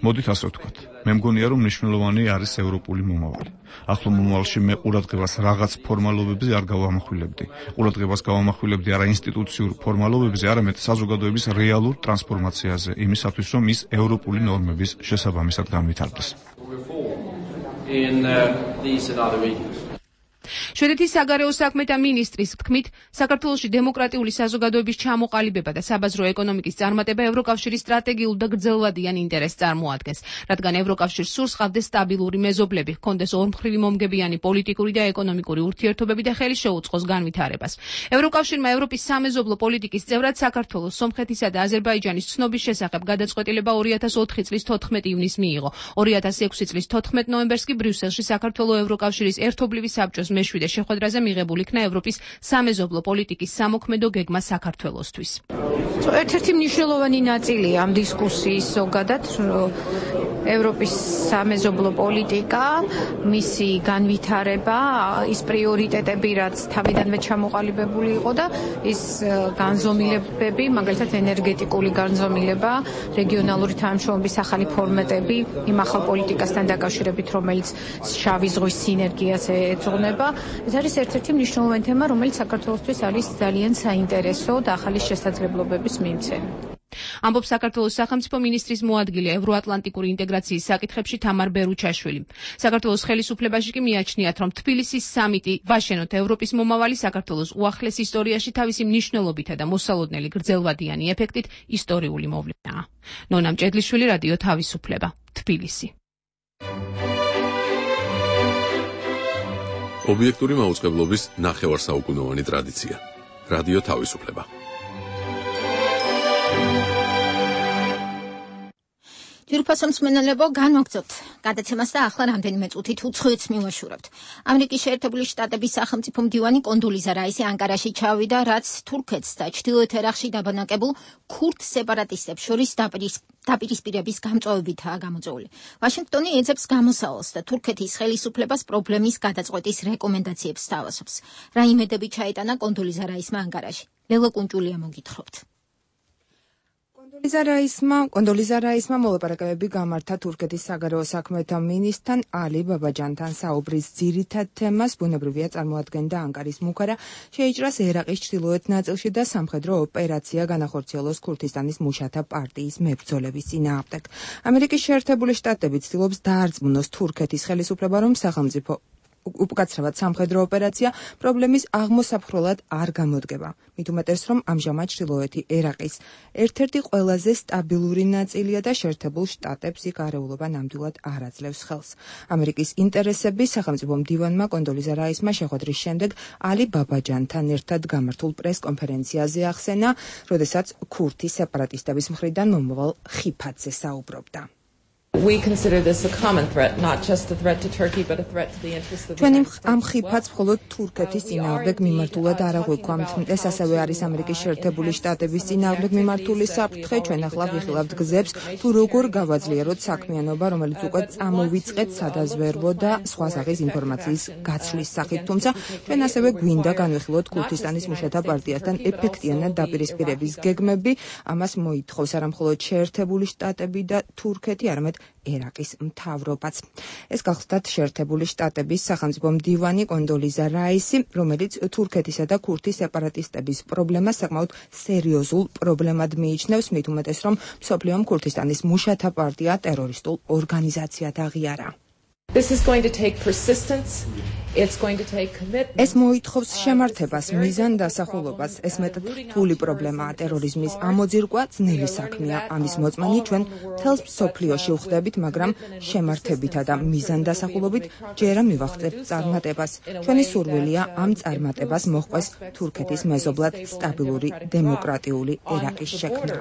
Speaker 22: მოდით ასე ვთქვათ. მე მგონია, რომ მნიშვნელოვანი არის ევროპული მომავალი. ახლო მომავალში მე ყურადღებას რაღაც ფორმალობებზე არ გავამახვილებდი. ყურადღებას გავამახვილებდი არა ინსტიტუციურ ფორმალობებზე, არამედ საზოგადოების რეალურ ტრანსფორმაციაზე, იმისათვის, რომ ის ევროპული ნორმების შესაბამისად განვითარდეს.
Speaker 21: შვედეთის საგარეო საქმეთა მინისტრის თქმით, საქართველოში დემოკრატიული საზოგადოების ჩამოყალიბება და საბაზრო ეკონომიკის წარმატება ევროკავშირის სტრატეგიულ და გრძელვადიან ინტერესს წარმოადგენს, რადგან ევროკავშირს სურს ჰყავდეს სტაბილური მეზობლები, ჰქონდეს ორმხრივი მომგებიანი პოლიტიკური და ეკონომიკური ურთიერთობები და ხელი შეუწყოს განვითარებას. ევროკავშირმა ევროპის სამეზობლო პოლიტიკის წევრად საქართველოს, სომხეთისა და აზერბაიჯანის ცნობის შესახებ გადაწყვეტილება ორი ათას ოთხი წლის თოთხმეტი ივნისს მიიღო. ორი ათას ექვსი წლის თოთხმეტ ნოემბერს კი ბრიუსელში საქართველოს ევროკავშირის ერთობლივი საბჭოს მეშვიდე შეხვედრაზე მიღებულ იქნა ევროპის სამეზობლო პოლიტიკის სამოქმედო გეგმა საქართველოსთვის.
Speaker 23: ერთ-ერთი მნიშვნელოვანი ნაწილია ამ დისკუსიის ზოგადად ევროპის სამეზობლო პოლიტიკა, მისი განვითარება, ის პრიორიტეტები, რაც თავიდანვე ჩამოყალიბებული იყო და ის განზომილებები, მაგალითად ენერგეტიკული განზომილება, რეგიონალური თანამშრომლობის ახალი ფორმატები, იმ ახალ პოლიტიკასთან დაკავშირებით, რომელიც შავი ზღვის სინერგიას ეძღვნება. ეს არის ერთ-ერთი მნიშვნელოვანი თემა, რომელიც საქართველოსთვის არის ძალიან საინტერესო და ახალი შესაძლებლობების მიმცემი.
Speaker 21: ამბობს საქართველოს სახელმწიფო მინისტრის მოადგილე ევროატლანტიკური ინტეგრაციის საკითხებში თამარ ბერუჩაშვილი. საქართველოს ხელისუფლებაში კი მიაჩნიათ, რომ თბილისის სამიტი ვაშენოთ ევროპის მომავალი საქართველოს უახლეს ისტორიაში თავისი მნიშვნელობითა და მოსალოდნელი გრძელვადიანი ეფექტით ისტორიული მოვლენაა. ნონა მჭედლიშვილი, რადიო თავისუფლება, თბილისი.
Speaker 4: ობიექტური მაუწყებლობის ნახევარსაუკუნოვანი ტრადიცია. რადიო თავისუფლება.
Speaker 1: ჯირფასო მსმენელებო, განვაგრძობთ გადაცემას და ახლა რამდენიმე წუთით უცხოეთს მივაშურებთ. ამერიკის შეერთებული შტატების სახელმწიფო მდივანი კონდოლიზა რაისი ანკარაში ჩავიდა, რაც თურქეთს და ჩრდილოეთ ერაყში დაბანაკებულ ქურდ სეპარატისტებს შორის დაპირისპირების გამწვევებითაა გამოწვეული. ვაშინგტონი ეძებს გამოსავალს და თურქეთის ხელისუფლებას პრობლემის გადაწყვეტის რეკომენდაციებს სთავაზობს. რა იმედები ჩაეტანა კონდოლიზა რაისმა ანკარაში? ლელა კუნჭულია მოგითხრობთ.
Speaker 5: კონდოლიზა რაისმა კონდოლიზა რაისმა მოლაპარაკებები გამართა თურქეთის საგარეო საქმეთა მინისტრთან ალი ბაბაჯანთან. საუბრის ძირითად თემას ბუნებრივია წარმოადგენდა ანკარის მუქარა შეიჭრას ერაყის ჩრდილოეთ ნაწილში და სამხედრო ოპერაცია განახორციელოს ქურთისტანის მუშათა პარტიის მებრძოლების წინააღმდეგ. ამერიკის შეერთებული შტატები ცდილობს დაარწმუნოს თურქეთის ხელისუფლება, რომ სახელმწიფო უკაცრავად სამხედრო ოპერაცია პრობლემის აღმოსაფხროლად არ გამოდგება. მით უმეტეს, რომ ამჟამად ჩრდილოეთი ერაყის ერთ-ერთი ყველაზე სტაბილური ნაწილია და შეერთებულ შტატებს იქ არეულობა ნამდვილად არ აძლევს ხელს. ამერიკის ინტერესები სახელმწიფო მდივანმა კონდოლიზა რაისმა შეხვედრის შემდეგ ალი ბაბაჯანთან ერთად გამართულ პრეს-კონფერენციაზე ახსენა, როდესაც ქურთი სეპარატისტების მხრიდან მომავალ ხიფათზე საუბრობდა.
Speaker 9: We consider this a common threat, not just a threat to Turkey, but a threat to the interests of the
Speaker 5: ჩვენი ამ ხიფათს მხოლოდ თურქეთის წინააღმდეგ მიმართულად არ აღვიქვამთ. ეს ასევე არის ამერიკის შეერთებული შტატების წინააღმდეგ მიმართული საფრთხე. ჩვენ ახლა ვიხილავთ გზებს, თუ როგორ გავაძლიეროთ საქმიანობა, რომელიც უკვე წამოვიწყეთ სადაზვერვო და სხვა სახის ინფორმაციის გაცვლის სახით. თუმცა ჩვენ ასევე გვინდა განვიხილოთ ქურთისტანის მუშათა პარტიასთან ეფექტიანად დაპირისპირების გეგმები. ამას მოითხოვს არა მხოლოდ შეერთებული შტატები და თურქეთი, არამედ ერაყის მთავრობაც. ეს გახლდათ შეერთებული შტატების სახელმწიფო მდივანი კონდოლიზა რაისი, რომელიც თურქეთისა და ქურთის სეპარატისტების პრობლემას საკმაოდ სერიოზულ პრობლემად მიიჩნევს, მით უმეტეს, რომ მსოფლიომ ქურთისტანის მუშათა პარტია ტერორისტულ ორგანიზაციად აღიარა.
Speaker 9: This is going to take persistence. It's going to take commitment.
Speaker 5: ეს მოითხოვს შემართებას, მიზან დასახულობას. ეს მეტად რთული პრობლემაა. ტერორიზმის ამოძირკვა ძნელი საქმეა. ამის მოწმენი ჩვენ მთელს მსოფლიოში ვხდებით, მაგრამ შემართებითა და მიზან დასახულობით ჯერა მივახცევთ წარმატებას. ჩვენი სურვილია ამ წარმატებას მოჰყვეს თურქეთის მეზობლად სტაბილური დემოკრატიული ერაყის შექმნა.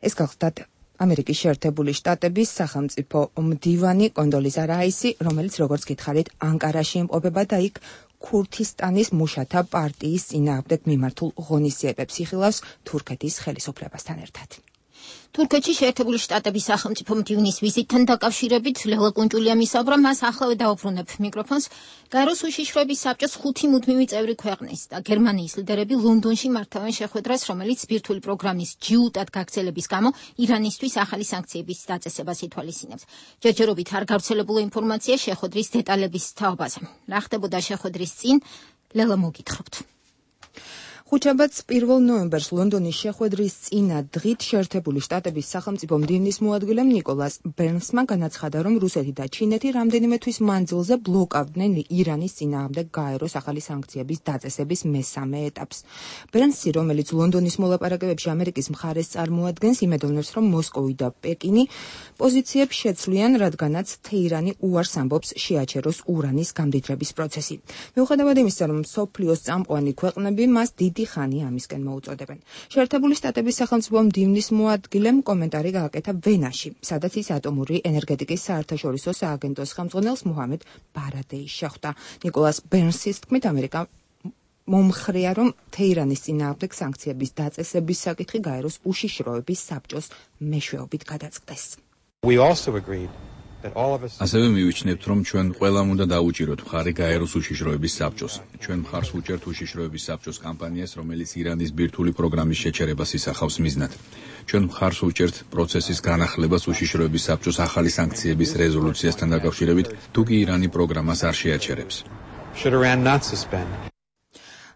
Speaker 5: ეს გახლდათ ამერიკის შეერთებული შტატების სახელმწიფო მდივანი კონდოლიზა რაისი, რომელიც როგორც გითხარით, ანკარაში იმყოფება და იქ ქურთისტანის მუშათა პარტიის წინააღმდეგ მიმართულ ღონისძიებებს იხილავს თურქეთის ხელისუფლებასთან ერთად.
Speaker 1: თურქეთში შეერთებული შტატების სახელმწიფო მდივნის ვიზიტთან დაკავშირებით ლელა კუნჭულია მისაუბრა, მას ახლავე დაუბრუნებ მიკროფონს. გაეროს უშიშროების საბჭოს ხუთი მუდმივი წევრი ქვეყნის და გერმანიის ლიდერები ლონდონში მართავენ შეხვედრას, რომელიც ბირთვული პროგრამის ჯიუტად გაგრძელების გამო ირანისთვის ახალი სანქციების დაწესებას ითვალისწინებს. ჯერჯერობით არ გავრცელებულა ინფორმაცია შეხვედრის დეტალების თაობაზე. რა ხდებოდა შეხვედრის წინ, ლელა მოგითხრობთ.
Speaker 5: ხუთშაბათს პირველ ნოემბერს ლონდონის შეხვედრის წინა დღით შეერთებული შტატების სახელმწიფო მდივნის მოადგილემ ნიკოლას ბერნსმა განაცხადა, რომ რუსეთი და ჩინეთი რამდენიმე თვის მანძილზე ბლოკავდნენ ირანის წინააღმდეგ გაეროს ახალი სანქციების დაწესების მესამე ეტაპს. ბერნსი, რომელიც ლონდონის მოლაპარაკებებში ამერიკის მხარეს წარმოადგენს, იმედოვნებს, რომ მოსკოვი და პეკინი პოზიციებს შეცვლიან, რადგანაც თეირანი უარს ამბობს შეაჩეროს ურანის გამდიდრების პროცესი. მიუხედავად იმისა, რომ მსოფლიოს წამყვანი ქვეყნები მას დიდი ხანი ამისკენ მოუწოდებენ. შეერთებული შტატების სახელმწიფო მდივნის მოადგილემ კომენტარი გააკეთა ვენაში, სადაც ის ატომური ენერგეტიკის საერთაშორისო სააგენტოს ხელმძღვანელს მუჰამედ ბარადეის შეხვდა. ნიკოლას ბერნსის თქმით, ამერიკა მომხრეა, რომ თეირანის წინააღმდეგ სანქციების დაწესების საკითხი გაეროს უშიშროების საბჭოს მეშვეობით გადაწყდეს.
Speaker 24: We also agreed ასევე მივიჩნევთ, რომ ჩვენ ყველამ უნდა დაუჭიროთ მხარი გაეროს უშიშროების საბჭოს. ჩვენ მხარს უჭერთ უშიშროების საბჭოს კამპანიას, რომელიც ირანის ბირთვული პროგრამის შეჩერებას ისახავს მიზნად. ჩვენ მხარს უჭერთ პროცესის განახლებას უშიშროების საბჭოს ახალი სანქციების რეზოლუციასთან დაკავშირებით, თუ კი ირანი პროგრამას არ შეაჩერებს.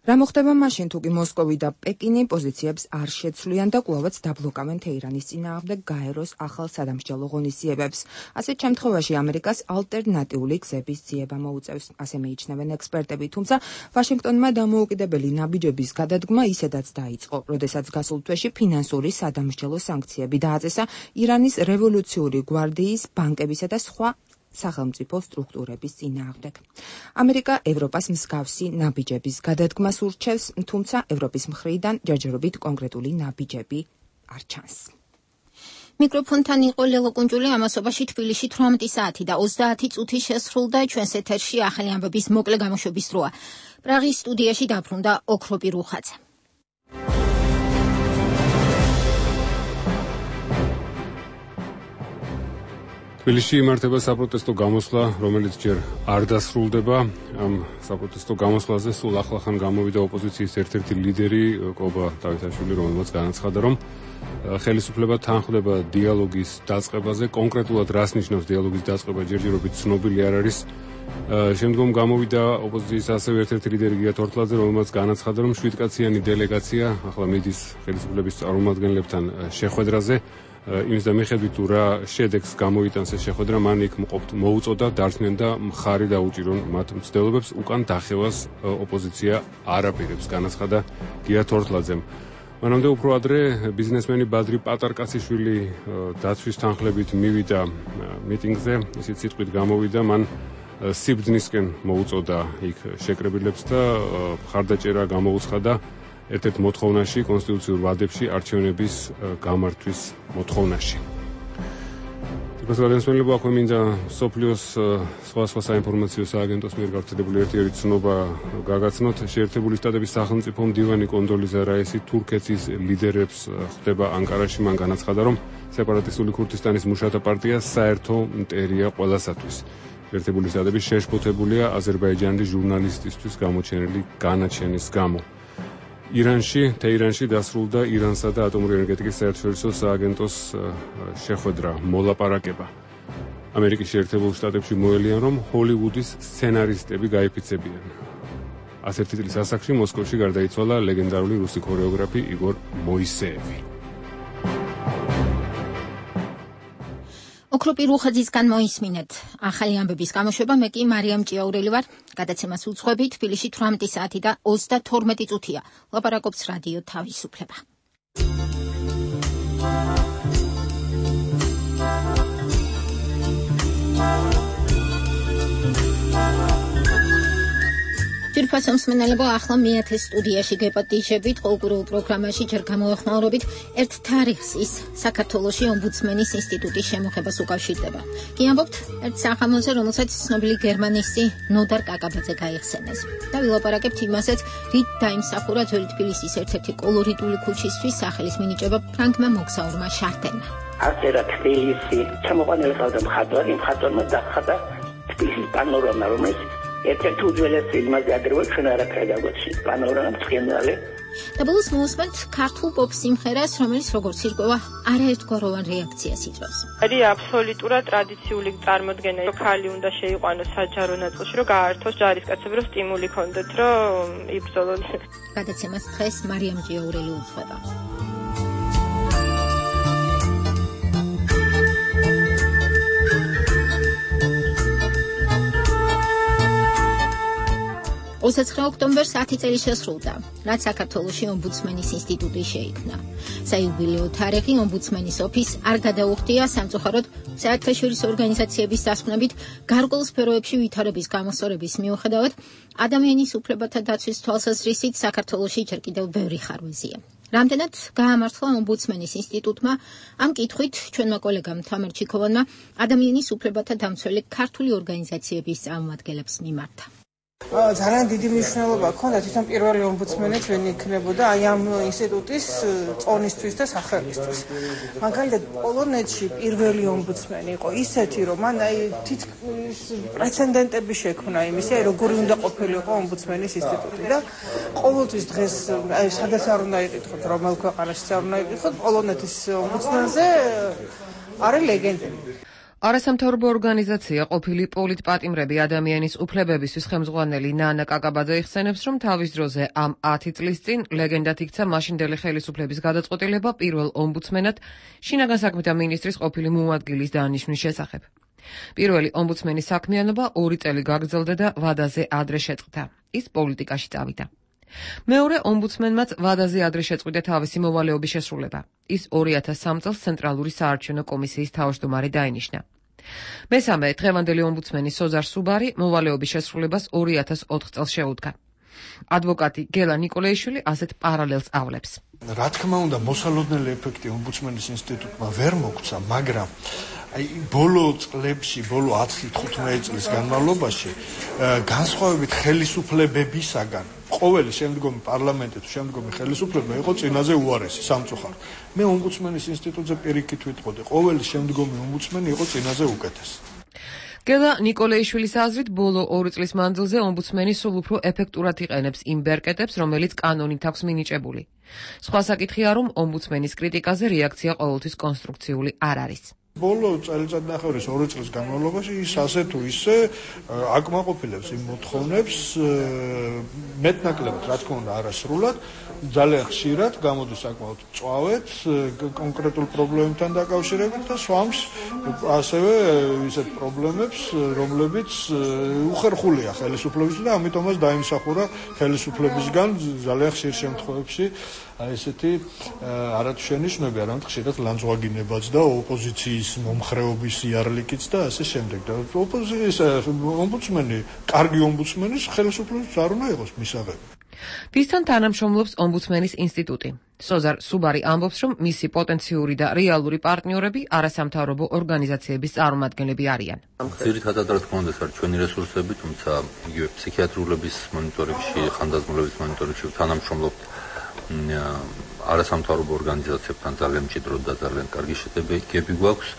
Speaker 5: რა მოხდება მაშინ, თუ კი მოსკოვი და პეკინი პოზიციებს არ შეცვლიან და კვლავაც დაბლოკავენ თეირანის წინააღმდეგ გაეროს ახალ სადამსჯელო ღონისძიებებს. ასეთ შემთხვევაში ამერიკას ალტერნატიული გზების ძიება მოუწევს, ასე მიიჩნევენ ექსპერტები, თუმცა ვაშინგტონმა დამოუკიდებელი ნაბიჯების გადადგმა ისედაც დაიწყო, როდესაც გასულ თვეში ფინანსური სადამსჯელო სანქციები დააწესა ირანის რევოლუციური გვარდიის, ბანკებისა და სხვა სახელმწიფო სტრუქტურების წინააღმდეგ. ამერიკა ევროპას მსგავსი ნაბიჯების გადადგმას ურჩევს, თუმცა ევროპის მხრიდან ჯერჯერობით კონკრეტული ნაბიჯები არ ჩანს.
Speaker 1: მიკროფონთან იყო ლელო კუნჯული, ამასობაში თბილისში თვრამეტი საათი და ოცდაათი წუთი შესრულდა ჩვენს ეთერში ახალი ამბების მოკლე გამოშვების დროა. პრაღის სტუდიაში დაბრუნდა ოქროპი რუხაძე.
Speaker 2: თბილისში იმართება საპროტესტო გამოსვლა, რომელიც ჯერ არ დასრულდება. ამ საპროტესტო გამოსვლაზე სულ ახლახან გამოვიდა ოპოზიციის ერთ-ერთი ლიდერი კობა დავითაშვილი, რომელმაც განაცხადა, რომ ხელისუფლება თანხმდება დიალოგის დაწყებაზე. კონკრეტულად რას ნიშნავს დიალოგის დაწყება, ჯერჯერობით ცნობილი არ არის. შემდგომ გამოვიდა ოპოზიციის ასევე ერთ-ერთი ლიდერი გია თორთლაძე, რომელმაც განაცხადა, რომ შვიდკაციანი დელეგაცია ახლა მიდის ხელისუფლების წარმომადგენლებთან შეხვედრაზე. იმის და მიხედვით თუ რა შედეგს გამოიტანს ეს შეხვედრა, მან იქ მოუწოდა დარჩნენ და მხარი დაუჭირონ მათ მცდელობებს, უკან დახევას ოპოზიცია არ აპირებს, განაცხადა გია თორთლაძემ. მანამდე უფრო ადრე ბიზნესმენი ბადრი პატარკაციშვილი დაცვის თანხლებით მივიდა მიტინგზე, ისიც სიტყვით გამოვიდა, მან სიბრძნისკენ მოუწოდა იქ შეკრებილებს და მხარდაჭერა გამოუცხადა ერთ-ერთ მოთხოვნაში, კონსტიტუციურ ვადებში არჩევნების გამართვის მოთხოვნაში. პრეზიდენტის აქვე მინდა სოფლიოს სხვა სხვა საინფორმაციო სააგენტოს მიერ გავრცელებული ერთ-ერთი ცნობა გაგაცნოთ. შეერთებული შტატების სახელმწიფო მდივანი კონდოლიზა რაისი თურქეთის ლიდერებს ხვდება ანკარაში. მან განაცხადა, რომ სეპარატისტული ქურთისტანის მუშათა პარტია საერთო მტერია ყველასათვის. შეერთებული შტატები შეშფოთებულია აზერბაიჯანის ჟურნალისტისთვის გამოჩენილი განაჩენის გამო. ირანში, თეირანში დასრულდა ირანსა და ატომური ენერგეტიკის საერთაშორისო სააგენტოს შეხვედრა, მოლაპარაკება. ამერიკის შეერთებულ შტატებში მოელიან, რომ ჰოლივუდის სცენარისტები გაიფიცებიან. ასეთი წლის ასაკში მოსკოვში გარდაიცვალა ლეგენდარული რუსი ქორეოგრაფი იგორ მოისეევი.
Speaker 1: ოქროპი რუხაძისგან მოისმინეთ ახალი ამბების გამოშვება. მე კი მარიამ ჭიაურელი ვარ. გადაცემას უძღვები. თბილისში თვრამეტი საათი და ოცდათორმეტი წუთია. ლაპარაკობს რადიო თავისუფლება. ჯირფასო მსმენელებო, ახლა მეათე სტუდიაში გეპატიჟებით, ყოველკვირეულ პროგრამაში ჯერ გამოეხმაურებით ერთ თარიღს, ის საქართველოში ომბუდსმენის ინსტიტუტის შემოღებას უკავშირდება. კი ამბობთ ერთ სახამოზე, რომელსაც ცნობილი გერმანისტი ნოდარ კაკაბაძე გაიხსენეს. და ვილაპარაკებთ იმასაც, რით დაიმსახურა ძველი თბილისის ერთ-ერთი კოლორიტული ქუჩისთვის სახელის მინიჭება ფრანგმა მოგზაურმა შარტენმა.
Speaker 6: ასე რა თბილისი ჩამოყალიბდა ხალხი მხატვარი, მხატვარმა დაახატა თბილისის პანორამა, რომელიც ერთ-ერთი უძველესი იმაზე ადრევა ჩვენ არაფერი დაგვეცით პანორამა ცხენდალე.
Speaker 1: და ბოლოს მოусმენთ ქართულ პოპ სიმღერას, რომელიც როგორც ირკვევა, არაერთგვაროვან რეაქციას იწვევს.
Speaker 10: არის აბსოლუტურად ტრადიციული წარმოდგენა, რომ ხალი უნდა შეიყვანოს საჯარო ნაწილში, რომ გაართოს ჯარისკაცები, რომ სტიმული ქონდეთ, რომ იბრძოლონ.
Speaker 1: გადაცემას დღეს მარიამ ჭიაურელი უძღვება. ოცდაცხრე ოქტომბერს ათი წელი შესრულდა, რაც საქართველოში ომბუდსმენის ინსტიტუტი შეიქმნა. საიუბილეო თარიღი ომბუდსმენის ოფისს არ გადაუხდია სამწუხაროდ საერთაშორისო ორგანიზაციების დასკვნებით გარკვეულ სფეროებში ვითარების გამოსწორების მიუხედავად, ადამიანის უფლებათა დაცვის თვალსაზრისით საქართველოში ჯერ კიდევ ბევრი ხარვეზია. რამდენად გაამართლა ომბუდსმენის ინსტიტუტმა, ამ კითხვით ჩვენმა კოლეგამ თამარ ჩიქოვანმა ადამიანის უფლებათა დამცველი ქართული ორგანიზაციების წარმომადგენლებს მიმართა.
Speaker 11: ძალიან დიდი მნიშვნელობა ჰქონდა თვითონ პირველი ომბუდსმენიც ვინ იქნებოდა აი ამ ინსტიტუტის წონისთვის და სახელისთვის. მაგალითად პოლონეთში პირველი ომბუდსმენი იყო ისეთი, რომ მან აი თითქმის პრეცედენტები შექმნა იმისა, როგორი უნდა ყოფილიყო ომბუდსმენის ინსტიტუტი და ყოველთვის დღეს აი სადაც არ უნდა იყითხოთ, რომელ ქვეყანაში არ უნდა იყითხოთ, პოლონეთის ომბუდსმენზე არის ლეგენდები.
Speaker 8: არასამთავრობო ორგანიზაცია ყოფილი პოლიტპატიმრები ადამიანის უფლებებისთვის ხელმძღვანელი ნანა კაკაბაძე იხსენებს, რომ თავის დროზე ამ ათი წლის წინ ლეგენდად იქცა მაშინდელი ხელისუფლების გადაწყვეტილება პირველ ომბუდსმენად შინაგან საქმეთა მინისტრის ყოფილი მოადგილის დანიშვნის შესახებ. პირველი ომბუდსმენის საქმიანობა ორი წელი გაგრძელდა და ვადაზე ადრე შეწყდა. ის პოლიტიკაში წავიდა. მეორე ომბუდსმენმაც ვადაზე ადრე შეწყვიტა თავისი მოვალეობის შესრულება. ის ორი ათას სამ წელს ცენტრალური საარჩევნო კომისიის თავმჯდომარე დაინიშნა. მესამე დღევანდელი ომბუდსმენი სოზარ სუბარი მოვალეობის შესრულებას ორი ათას ოთხ წელს შეუდგა. ადვოკატი გელა ნიკოლეიშვილი ასეთ პარალელს ავლებს.
Speaker 13: რა თქმა უნდა, მოსალოდნელი ეფექტი ომბუდსმენის ინსტიტუტმა ვერ მოგცა, მაგრამ აი ბოლო წლებში, ბოლო ათი თხუთმეტი წლის განმავლობაში განსხვავებით ხელისუფლებებისაგან ყოველი შემდგომი პარლამენტი თუ შემდგომი ხელისუფლება იყო წინაზე უარესი სამწუხაროდ. მე ომბუდსმენის ინსტიტუტზე პირიქით ვიტყოდი, ყოველი შემდგომი ომბუდსმენი იყო წინაზე უკეთესი.
Speaker 8: გელა ნიკოლეიშვილის აზრით, ბოლო ორი წლის მანძილზე ომბუდსმენი სულ უფრო ეფექტურად იყენებს იმ ბერკეტებს, რომელიც კანონით აქვს მინიჭებული. სხვა საკითხია, რომ ომბუდსმენის კრიტიკაზე რეაქცია ყოველთვის კონსტრუქციული არ არის.
Speaker 13: ბოლო წელიწადნახევრის ორი წლის განმავლობაში ის ასე თუ ისე აკმაყოფილებს იმ მოთხოვნებს მეტნაკლებად, რა თქმა უნდა, არასრულად, ძალიან ხშირად გამოდის საკმაოდ მწვავედ კონკრეტულ პრობლემებთან დაკავშირებით და swamps ასევე ისეთ პრობლემებს, რომლებიც უხერხულია ხელისუფლების და ამიტომაც დაიმსახურა ხელისუფლებისგან ძალიან ხშირ შემთხვევებში აი ესეთი არათუ შენიშვნები, არამედ ხშირად ლანძღვაგინებაც და ოპოზიციის მომხრეობის იარლიკიც და ასე შემდეგ. და ოპოზიციის ომბუდსმენი, კარგი ომბუდსმენის ხელისუფლების არ უნდა იყოს მისაღები.
Speaker 8: ვისთან თანამშრომლობს ომბუდსმენის ინსტიტუტი. სოზარ სუბარი ამბობს, რომ მისი პოტენციური და რეალური პარტნიორები არასამთავრობო ორგანიზაციების წარმომადგენლები არიან.
Speaker 15: ძირითადად რა თქმა უნდა ეს არის ჩვენი რესურსები, თუმცა იგივე ფსიქიატრულების მონიტორინგში, ხანდაზმულების მონიტორინგში თანამშრომლობთ არასამთავრობო ორგანიზაციებთან ძალიან მჭიდროდ და ძალიან კარგი შედეგები გვაქვს.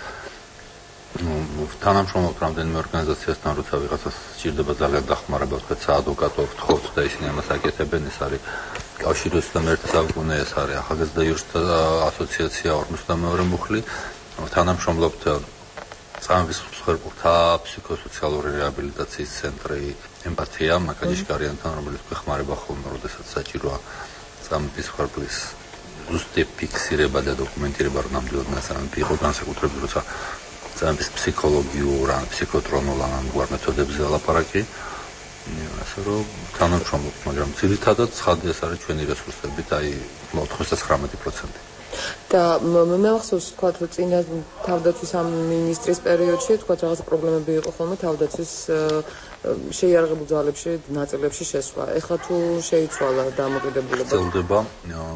Speaker 15: თანამშრომლობთ რამდენიმე ორგანიზაციასთან, როცა ვიღაცას სჭირდება ძალიან დახმარება, ვთქვათ, საადვოკატო ვთხოვთ და ისინი ამას აკეთებენ. ეს არის კავშირი ოცდამეერთე საუკუნე, ეს არის ახალგაზრდა იურისტთა ასოციაცია ორმოცდამეორე მუხლი. თანამშრომლობთ წამების მსხვერპლთა ფსიქოსოციალური რეაბილიტაციის ცენტრი ემპათია მაკაჯიშკარიანთან, რომელიც გვეხმარება ხოლმე, როდესაც საჭიროა წამების მსხვერპლის ზუსტი ფიქსირება და დოკუმენტირება, რომ ნამდვილად მასწავლებელი იყო განსაკუთრებით, როცა წამების ფსიქოლოგიურ ან ფსიქოტრონულ ან ამგვარ მეთოდებზე ლაპარაკი. ასე რომ თანამშრომლობთ, მაგრამ ძირითადად ცხადი ეს არის ჩვენი რესურსებით, აი ოთხმოცდათხრამეტი პროცენტი.
Speaker 16: და მე ახსოვს თქვა, რომ წინა თავდაცვის ამ მინისტრის პერიოდში თქვა რაღაც პრობლემები იყო ხოლმე თავდაცვის შეიარაღებულ ძალებში ნაწილებში შესვლა. ეხლა თუ შეიცვალა დამოკიდებულება?
Speaker 15: ძლდება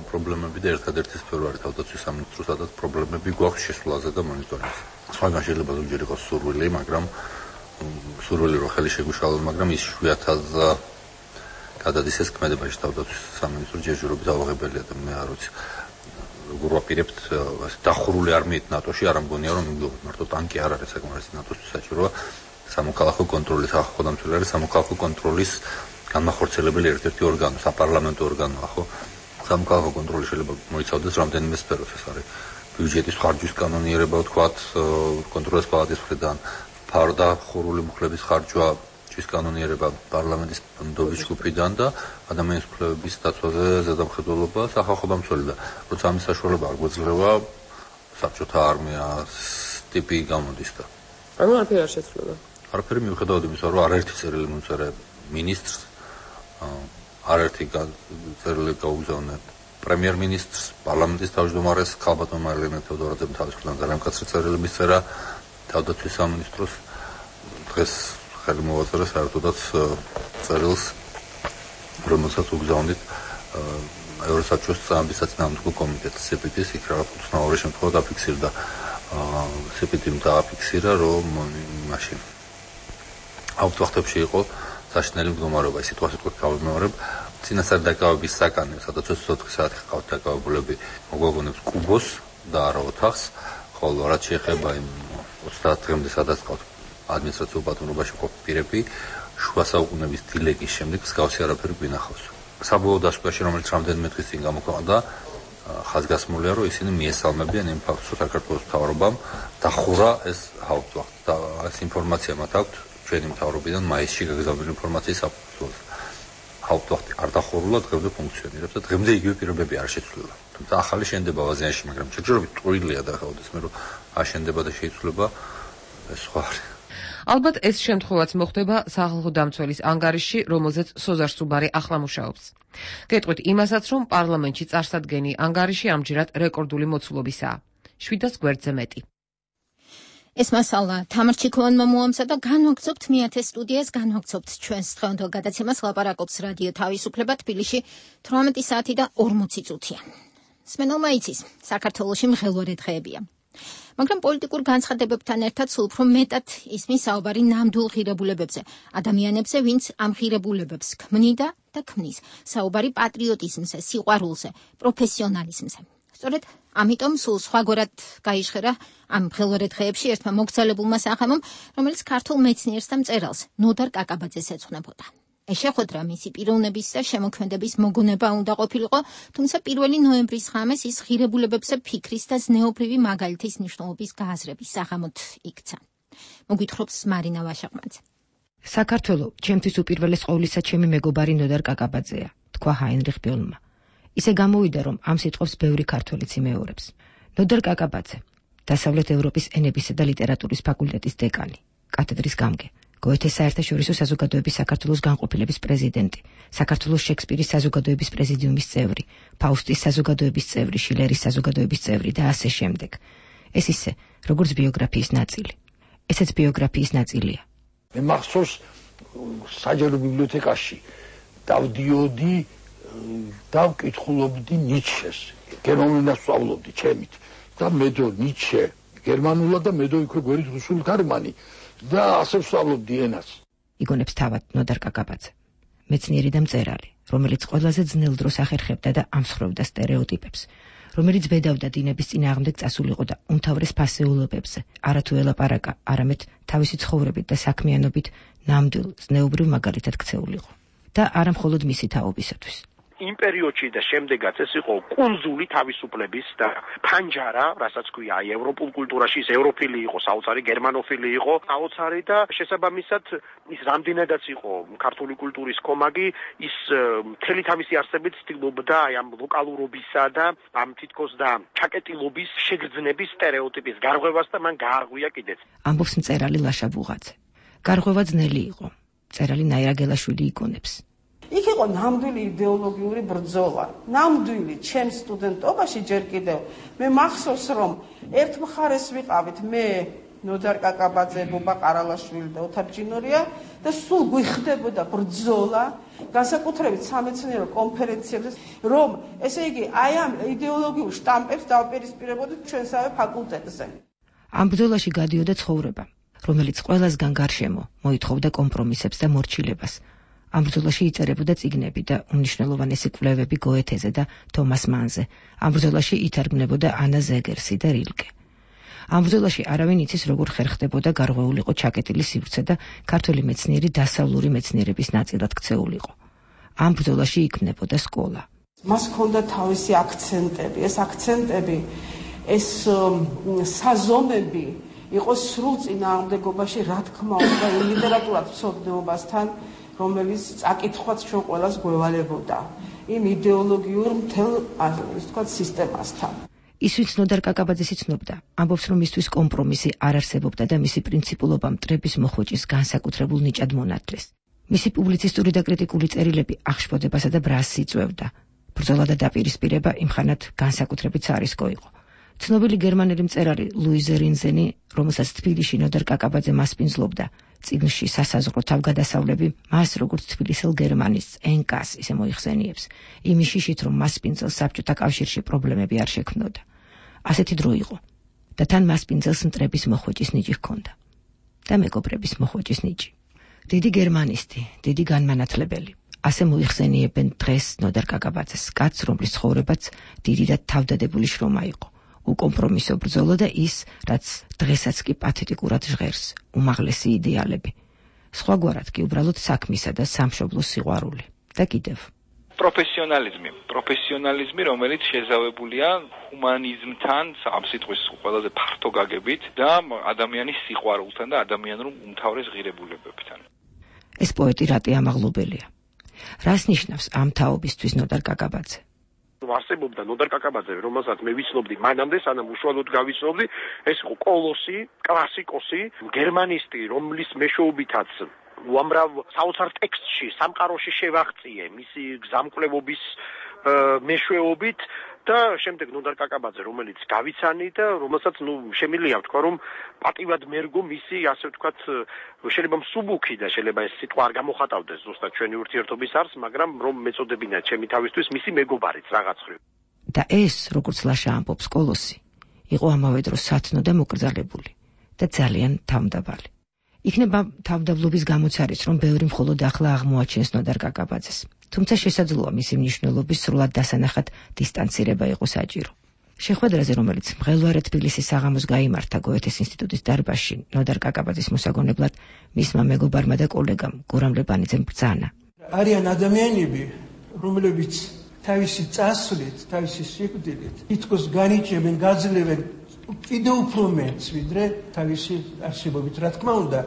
Speaker 15: პრობლემები და ერთადერთი სფერო არის თავდაცვის სამინისტრო, სადაც პრობლემები გვაქვს შესვლაზე და მონიტორინგზე. სხვაგან შეიძლება ზოგჯერ იყოს სურვილი, მაგრამ სურვილი რო ხელი შეგვიშალოს, მაგრამ ის შვიათას გადადის ეს ქმედებაში თავდაცვის სამინისტრო ჯერჯერობით ავაღებელია და მე არ ვიცი. როგორ ვაპირებთ დახურული არმიით ნატოში, არ ამგონია რომ იმდობთ, მარტო ტანკი არ არის საკმარისი ნატოსთვის საჭიროა. სამოქალაქო კონტროლის ახალ დამცველი არის სამოქალაქო კონტროლის განმახორციელებელი ერთ-ერთი ორგანო, საპარლამენტო ორგანოა, ხო? სამოქალაქო კონტროლი შეიძლება მოიცავდეს რამდენიმე სფეროს, ეს არის ბიუჯეტის ხარჯვის კანონიერება, ვთქვათ, კონტროლის პალატის მხრიდან, ფარდა ხურული მუხლების ხარჯვა, ჭის კანონიერება პარლამენტის ნდობის ჯგუფიდან და ადამიანის უფლებების დაცვაზე ზედამხედველობა სახალხო დამცველი და როცა ამის საშუალება არ გვეძლევა, საბჭოთა არმიას ტიპი გამოდის და
Speaker 16: ანუ არაფერი არ შეცვლება.
Speaker 15: არაფერი მიუხედავად იმისა, რომ არაერთი წერილი მოწერე მინისტრს, არაერთი წერილი გაუგზავნე პრემიერ-მინისტრს, პარლამენტის თავმჯდომარეს, ქალბატონ მარლენე თეოდორაძემ თავის მხრიდან ძალიან მკაცრი წერილი მისწერა თავდაცვის სამინისტროს. დღეს ხელი მოვაწერა საერთოდაც წერილს, რომელსაც უგზავნით ევროსაბჭოს წამების საწინააღმდეგო კომიტეტს სეპიტის, იქ რაღაც უცნაური შემთხვევა დაფიქსირდა. სეპიტიმ დააფიქსირა, რომ მაშინ აუთ ვახტებში იყო საშინელი მდგომარეობა, სიტუაციით გავიმეორებ. წინასწარ დაკავების საკანი, სადაც ოცდაოთხი საათი ყავთ დაკავებულები, მოგვაგონებს კუბოს და არა ოთახს, ხოლო რაც შეეხება იმ ოცდაათ დღემდე სადაც ყავთ ადმინისტრაციულ პატრონობაში ყოფ პირები, შუა საუკუნეების დილეგის შემდეგ მსგავსი არაფერი გვინახავს. საბოლოო დასკვნაში, რომელიც რამდენიმე დღის წინ გამოქვეყნდა, ხაზგასმულია, რომ ისინი მიესალმებიან იმ ფაქტს, რომ საქართველოს მთავრობამ დახურა ეს ჰაუპტვახტი და ეს ინფორმაცია მათ აქვთ ჩვენი მთავრობიდან მაისში გაგზავნილი ინფორმაციის საფუძველზე. ჰაუპტვახტი არ დახურულა, დღემდე ფუნქციონირებს და დღემდე იგივე პირობები არ შეცვლილა. თუმცა ახალი შენდება ვაზიანში, მაგრამ ჯერჯერობით ტყუილია და ხაუდესმე რომ აშენდება და შეიცვლება ეს სხვა არის.
Speaker 8: ალბათ ეს შემთხვევაც მოხდება სახალხო დამცველის ანგარიშში, რომელზეც სოზარ სუბარი ახლა მუშაობს. გეტყვით იმასაც, რომ პარლამენტში წარსადგენი ანგარიში ამჯერად რეკორდული მოცულობისაა. შვიდას გვერდზე მეტი.
Speaker 1: ეს მასალა თამარ ჩიქოვანმა მოამზადა და განვაგრძობთ მეათე სტუდიას, განვაგრძობთ ჩვენს დღევანდელ გადაცემას ლაპარაკობს რადიო თავისუფლება თბილისში თვრამეტი საათი და ორმოცი წუთია. სმენელმა იცის, საქართველოში მღელვარე დღეებია. მაგრამ პოლიტიკურ განცხადებებთან ერთად სულ უფრო მეტად ისმის საუბარი ნამდვილ ღირებულებებზე, ადამიანებზე, ვინც ამ ღირებულებებს ქმნიდა და ქმნის. საუბარი პატრიოტიზმზე, სიყვარულზე, პროფესიონალიზმზე. სწორედ ამიტომ სულ სხვაგვარად გაიჟღერა ამ მღელვარე დღეებში ერთმა მოგზალებულმა სახემომ, რომელიც ქართულ მეცნიერს და მწერალს ნოდარ კაკაბაძეს ეძღვნებოდა. ეს შეხვედრა მისი პიროვნების და შემოქმედების მოგონება უნდა ყოფილიყო, თუმცა პირველი ნოემბრის ღამეს ის ღირებულებებზე ფიქრის და ზნეობრივი მაგალითის მნიშვნელობის გააზრების საღამოდ იქცა. მოგვითხრობს მარინა ვაშაყმაძე.
Speaker 17: საქართველო ჩემთვის უპირველეს ყოვლისა ჩემი მეგობარი ნოდარ კაკაბაძეა, თქვა ჰაინრიხ ბიოლმა. ისე გამოვიდა, რომ ამ სიტყვებს ბევრი ქართველიც იმეორებს. ნოდარ კაკაბაძე, დასავლეთ ევროპის ენებისა და ლიტერატურის ფაკულტეტის დეკანი, კათედრის გამგე, გოეთეს საერთაშორისო საზოგადოების საქართველოს განყოფილების პრეზიდენტი, საქართველოს შექსპირის საზოგადოების პრეზიდიუმის წევრი, ფაუსტის საზოგადოების წევრი, შილერის საზოგადოების წევრი და ასე შემდეგ. ეს ისე, როგორც ბიოგრაფიის ნაწილი. ესეც ბიოგრაფიის ნაწილია.
Speaker 18: მე მახსოვს საჯარო ბიბლიოთეკაში დავდიოდი და ვკითხულობდი ნიცშეს. გერმანულად ვსწავლობდი ჩემით და მედო ნიცშე გერმანულად და მედო იქვე გვერდით რუსული თარგმანი და ასე ვსწავლობდი ენას.
Speaker 17: იგონებს თავად ნოდარ კაკაბაძე, მეცნიერი და მწერალი, რომელიც ყველაზე ძნელ დროს ახერხებდა და ამსხვრევდა სტერეოტიპებს, რომელიც ბედავდა დინების წინააღმდეგ წასულიყო და უმთავრეს ფასეულობებზე არათუ ელაპარაკა, არამედ თავისი ცხოვრებით და საქმიანობით ნამდვილ ზნეობრივ მაგალითად ქცეულიყო და არა მხოლოდ მისი თაობისათვის.
Speaker 19: იმ პერიოდში და შემდეგაც ეს იყო კუნძული თავისუფლების და ფანჯარა, რასაც ქვია აი ევროპულ კულტურაში, ის ევროფილი იყო, საოცარი გერმანოფილი იყო, საოცარი და შესაბამისად ის რამდენადაც იყო ქართული კულტურის კომაგი, ის მთელი თავისი არსებით ცდილობდა აი ამ ლოკალურობისა და ამ თითქოს და ჩაკეტილობის შეგრძნების სტერეოტიპის გარღვევას და მან გაარღვია კიდეც.
Speaker 17: ამბობს მწერალი ლაშა ბუღაძე. გარღვევა ძნელი იყო. მწერალი ნაირა გელაშვილი იგონებს.
Speaker 11: იქ იყო ნამდვილი იდეოლოგიური ბრძოლა. ნამდვილი ჩემს სტუდენტობაში ჯერ კიდევ მე მახსოვს, რომ ერთ მხარეს ვიყავით მე, ნოდარ კაკაბაძე, ბობა ყარალაშვილი და ოთარ ჯინორია და სულ გვიხდებოდა ბრძოლა, განსაკუთრებით სამეცნიერო კონფერენციებზე, რომ ესე იგი აი ამ იდეოლოგიურ შტამპებს დავპირისპირებოდით ჩვენსავე ფაკულტეტზე.
Speaker 17: ამ ბრძოლაში გადიოდა ცხოვრება, რომელიც ყველასგან გარშემო მოითხოვდა კომპრომისებს და მორჩილებას. ამ ბრძოლაში იწერებოდა წიგნები და უმნიშვნელოვანესი კვლევები გოეთეზე და თომას მანზე. ამ ბრძოლაში ითარგმნებოდა ანა ზეგერსი და რილკე. ამ ბრძოლაში არავინ იცის, როგორ ხერხდებოდა გარღვეულიყო ჩაკეტილი სივრცე და ქართველი მეცნიერი დასავლური მეცნიერების ნაწილად ქცეულიყო. ამ ბრძოლაში იქმნებოდა სკოლა.
Speaker 11: მას ჰქონდა თავისი აქცენტები, ეს აქცენტები, ეს საზომები იყო სრულ წინააღმდეგობაში, რა თქმა უნდა, ლიტერატურად ცოდნეობასთან, რომელიც წაკითხვაც ჩვენ ყველას გვევალებოდა იმ იდეოლოგიურ მთელ ასე ვთქვათ სისტემასთან.
Speaker 17: ის ვინც ნოდარ კაკაბაძეს იცნობდა, ამბობს, რომ მისთვის კომპრომისი არ არსებობდა და მისი პრინციპულობა მტრების მოხვეჭის განსაკუთრებულ ნიჭად მონათლეს. მისი პუბლიცისტური და კრიტიკული წერილები აღშფოთებასა და ბრასს იწვევდა. ბრძოლა და დაპირისპირება იმხანად განსაკუთრებით სარისკო იყო. ცნობილი გერმანელი მწერალი ლუიზე რინზენი, რომელსაც თბილისში ნოდარ კაკაბაძე მასპინძლობდა, წიგნში სასაზღვრო თავგადასავლები მას როგორც თბილისელ გერმანის ენკას ისე მოიხსენიებს, იმის შიშით, რომ მასპინძელს საბჭოთა კავშირში პრობლემები არ შექმნოდა. ასეთი დრო იყო და თან მასპინძელს მტრების მოხვეჭის ნიჭი ჰქონდა და მეგობრების მოხვეჭის ნიჭი. დიდი გერმანისტი, დიდი განმანათლებელი. ასე მოიხსენიებენ დღეს ნოდარ კაკაბაძეს, კაცს, რომლის ცხოვრებაც დიდი და თავდადებული შრომა იყო. უკომპრომისო ბრძოლა და ის, რაც დღესაც კი პათეტიკურად ჟღერს, უმაღლესი იდეალები. სხვაგვარად კი უბრალოდ საქმისა და სამშობლოს სიყვარული. და კიდევ.
Speaker 7: პროფესიონალიზმი, პროფესიონალიზმი, რომელიც შეზავებულია ჰუმანიზმთან, ამ სიტყვის ყველაზე ფართო გაგებით და ადამიანის სიყვარულთან და ადამიანურ უმთავრეს ღირებულებებთან.
Speaker 17: ეს პოეტი რატი ამაღლობელია. რას ნიშნავს ამ თაობისთვის ნოდარ კაკაბაძე?
Speaker 19: არსებობდა ნოდარ კაკაბაძე, რომელსაც მე ვიცნობდი მანამდე, სანამ უშუალოდ გავიცნობდი, ეს იყო კოლოსი, კლასიკოსი, გერმანისტი, რომლის მეშვეობითაც უამრავ საოცარ ტექსტში, სამყაროში შევაღწიე მისი გზამკვლევობის მეშვეობით და შემდეგ ნოდარ კაკაბაძე, რომელიც გავიცანი და რომელსაც ნუ შემიძლია ვთქვა, რომ პატივად მერგო მისი, ასე ვთქვათ, შეიძლება მსუბუქი და შეიძლება ეს სიტყვა არ გამოხატავდეს ზუსტად ჩვენი ურთიერთობის არს, მაგრამ რომ მეწოდებინა ჩემი თავისთვის მისი მეგობარიც რაღაც ხრივ.
Speaker 17: და ეს, როგორც ლაშა ამბობს, კოლოსი იყო ამავე დროს სათნო და მოკრძალებული და ძალიან თავმდაბალი. იქნება თავმდაბლობის გამოც არის, რომ ბევრი მხოლოდ ახლა აღმოაჩენს ნოდარ კაკაბაძეს. თუმცა შესაძლოა მისი მნიშვნელობის სრულად დასანახად დისტანცირება იყო საჭირო. შეხვედრაზე, რომელიც მღელვარე თბილისის საღამოს გაიმართა გოეთეს ინსტიტუტის დარბაზში, ნოდარ კაკაბაძის მოსაგონებლად მისმა მეგობარმა და კოლეგამ გურამ ლებანიძემ ბრძანა.
Speaker 12: არიან ადამიანები, რომლებიც თავისი წასვლით, თავისი სიკვდილით თითქოს განიჭებენ, გაძლევენ კიდევ უფრო მეტს, ვიდრე თავისი არსებობით, რა თქმა უნდა,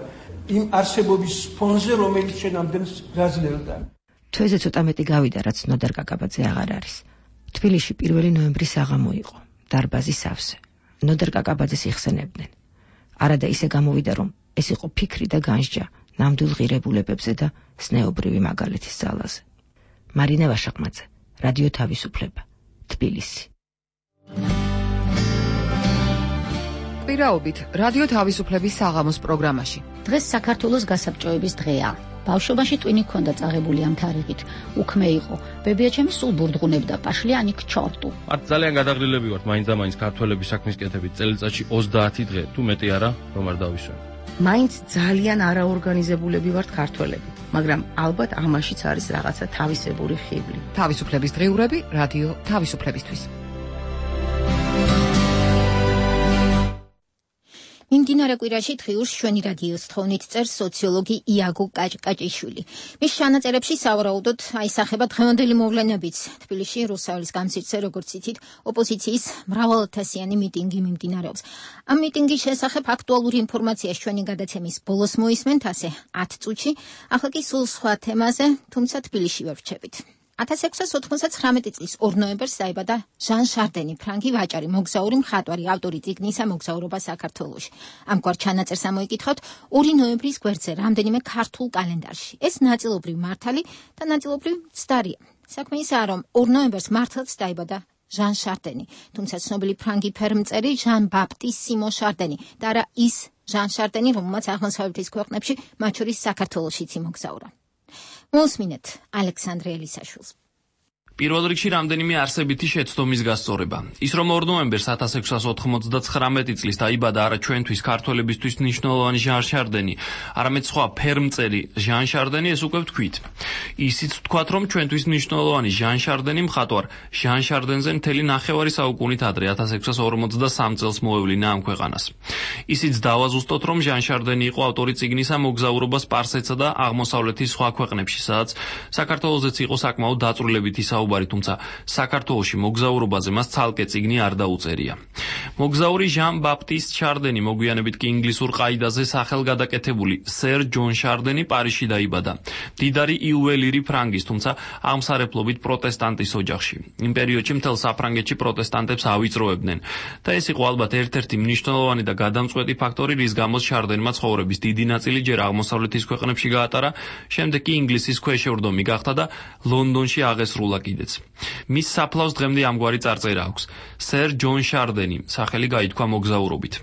Speaker 12: იმ არსებობის ფონზე, რომელიც შენ ამდენს გაძლევდა.
Speaker 17: თვეზე ცოტა მეტი გავიდა, რაც ნოდარ კაკაბაძე აღარ არის. თბილისში პირველი ნოემბრის საღამო იყო, დარბაზის სავსე. ნოდარ კაკაბაძეს იხსენებდნენ. არადა ისე გამოვიდა, რომ ეს იყო ფიქრი და განსჯა ნამდვილ ღირებულებებზე და სნეობრივი მაგალითის ძალაზე. მარინა ვაშაყმაძე, რადიო თავისუფლება, თბილისი.
Speaker 8: პირაობით რადიო თავისუფლების საღამოს პროგრამაში.
Speaker 14: დღეს საქართველოს გასაბჭოების დღეა. ბავშვობაში ტვინი ჰქონდა წაღებული ამ თარიღით. უქმე იყო. ბებიაჩემი სულ ბურდღუნებდა პაშლიანი ქჩორტუ.
Speaker 20: მათ ძალიან გადაღლილები ვართ მაინც და მაინც ქართველების საქმის კეთებით. წელიწადში ოცდაათი დღე, თუ მეტი არა, რომ არ დავისვენ.
Speaker 14: მაინც ძალიან არაორგანიზებულები ვართ ქართველები, მაგრამ ალბათ ამაშიც არის რაღაცა თავისებური ხიბლი.
Speaker 8: თავისუფლების დღეურები რადიო თავისუფლებისთვის.
Speaker 1: მიმდინარე კვირაში დღიურს ჩვენი რადიოს თხოვნით წერს სოციოლოგი იაგო კაჭკაჭიშვილი. მის ჩანაწერებში სავარაუდოდ აისახება დღევანდელი მოვლენებიც. თბილისში რუსთაველის გამზირდზე, როგორც იცით, ოპოზიციის მრავალათასიანი მიტინგი მიმდინარეობს. ამ მიტინგის შესახებ აქტუალური ინფორმაციას ჩვენი გადაცემის ბოლოს მოისმენთ, ასე ათ წუთში. ახლა კი სულ სხვა თემაზე, თუმცა თბილისში ვერ ვრჩებით. ათას ექვსას ოცდამოცდათხმეტი წლის ორ ნოემბერს დაიბადა ჟან შარდენი, ფრანგი ვაჭარი, მოგზაური, მხატვარი, ავტორი წიგნისა მოგზაურობა საქართველოში. ამგვარ ჩანაწერს ამოიკითხავთ ორი ნოემბრის გვერდზე რამდენიმე ქართულ კალენდარში. ეს ნაწილობრივ მართალი და ნაწილობრივ ცდარია. საქმე ისაა, რომ ორ ნოემბერს მართლაც დაიბადა ჟან შარდენი, თუმცა ცნობილი ფრანგი ფერმწერი ჟან ბაპტის სიმონ შარდენი და არა ის ჟან შარდენი, რომელმაც აღმოსავლეთის ქვეყნებში, მათ შორის საქართველოშიც იმოგზაურა. მოსმინეთ ალექსანდრე ელისაშვილს.
Speaker 20: პირველ რიგში რამდენიმე არსებითი შეცდომის გასწორება. ის რომ ორ ნოემბერს ათას ექვსას ოთხმოცდათხრამეტი წლის დაიბადა არა ჩვენთვის ქართველებისთვის მნიშვნელოვანი ჟან შარდენი, არამედ სხვა ფერმწერი ჟან შარდენი, ეს უკვე ვთქვით. ისიც ვთქვათ, რომ ჩვენთვის მნიშვნელოვანი ჟან შარდენი მხატვარ ჟან შარდენზე მთელი ნახევარი საუკუნით ადრე ათას ექვსას ორმოცდასამ წელს მოევლინა ამ ქვეყანას. ისიც დავაზუსტოთ, რომ ჟან შარდენი იყო ავტორი წიგნისა მოგზაურობა სპარსეთსა და აღმოსავლეთის სხვა ქვეყნებში, სადაც საქართველოსაც იყო საკმაოდ დაწვრილებითი საუბარი, თუმცა საქართველოში მოგზაურობაზე მას ცალკე წიგნი არ დაუწერია. მოგზაური ჟან ბაპტის შარდენი, მოგვიანებით კი ინგლისურ ყაიდაზე სახელგადაკეთებული სერ ჯონ შარდენი პარიზში დაიბადა. მდიდარი იუველირი ფრანგის, თუმცა აღმსარებლობით პროტესტანტის ოჯახში. იმ პერიოდში მთელ საფრანგეთში პროტესტანტებს ავიწროებდნენ და ეს იყო ალბათ ერთ-ერთი მნიშვნელოვანი და გადამწყვეტი ფაქტორი, რის გამოც შარდენმა ცხოვრების დიდი ნაწილი ჯერ აღმოსავლეთის ქვეყნებში გაატარა, შემდეგ კი ინგლისის ქვეშევრდომი გახდა და ლონდონში აღესრულა კიდეც. მის საფლავს დღემდე ამგვარი წარწერა აქვს. სერ ჯონ შარდენი, სახელი გაითქვა მოგზაურობით.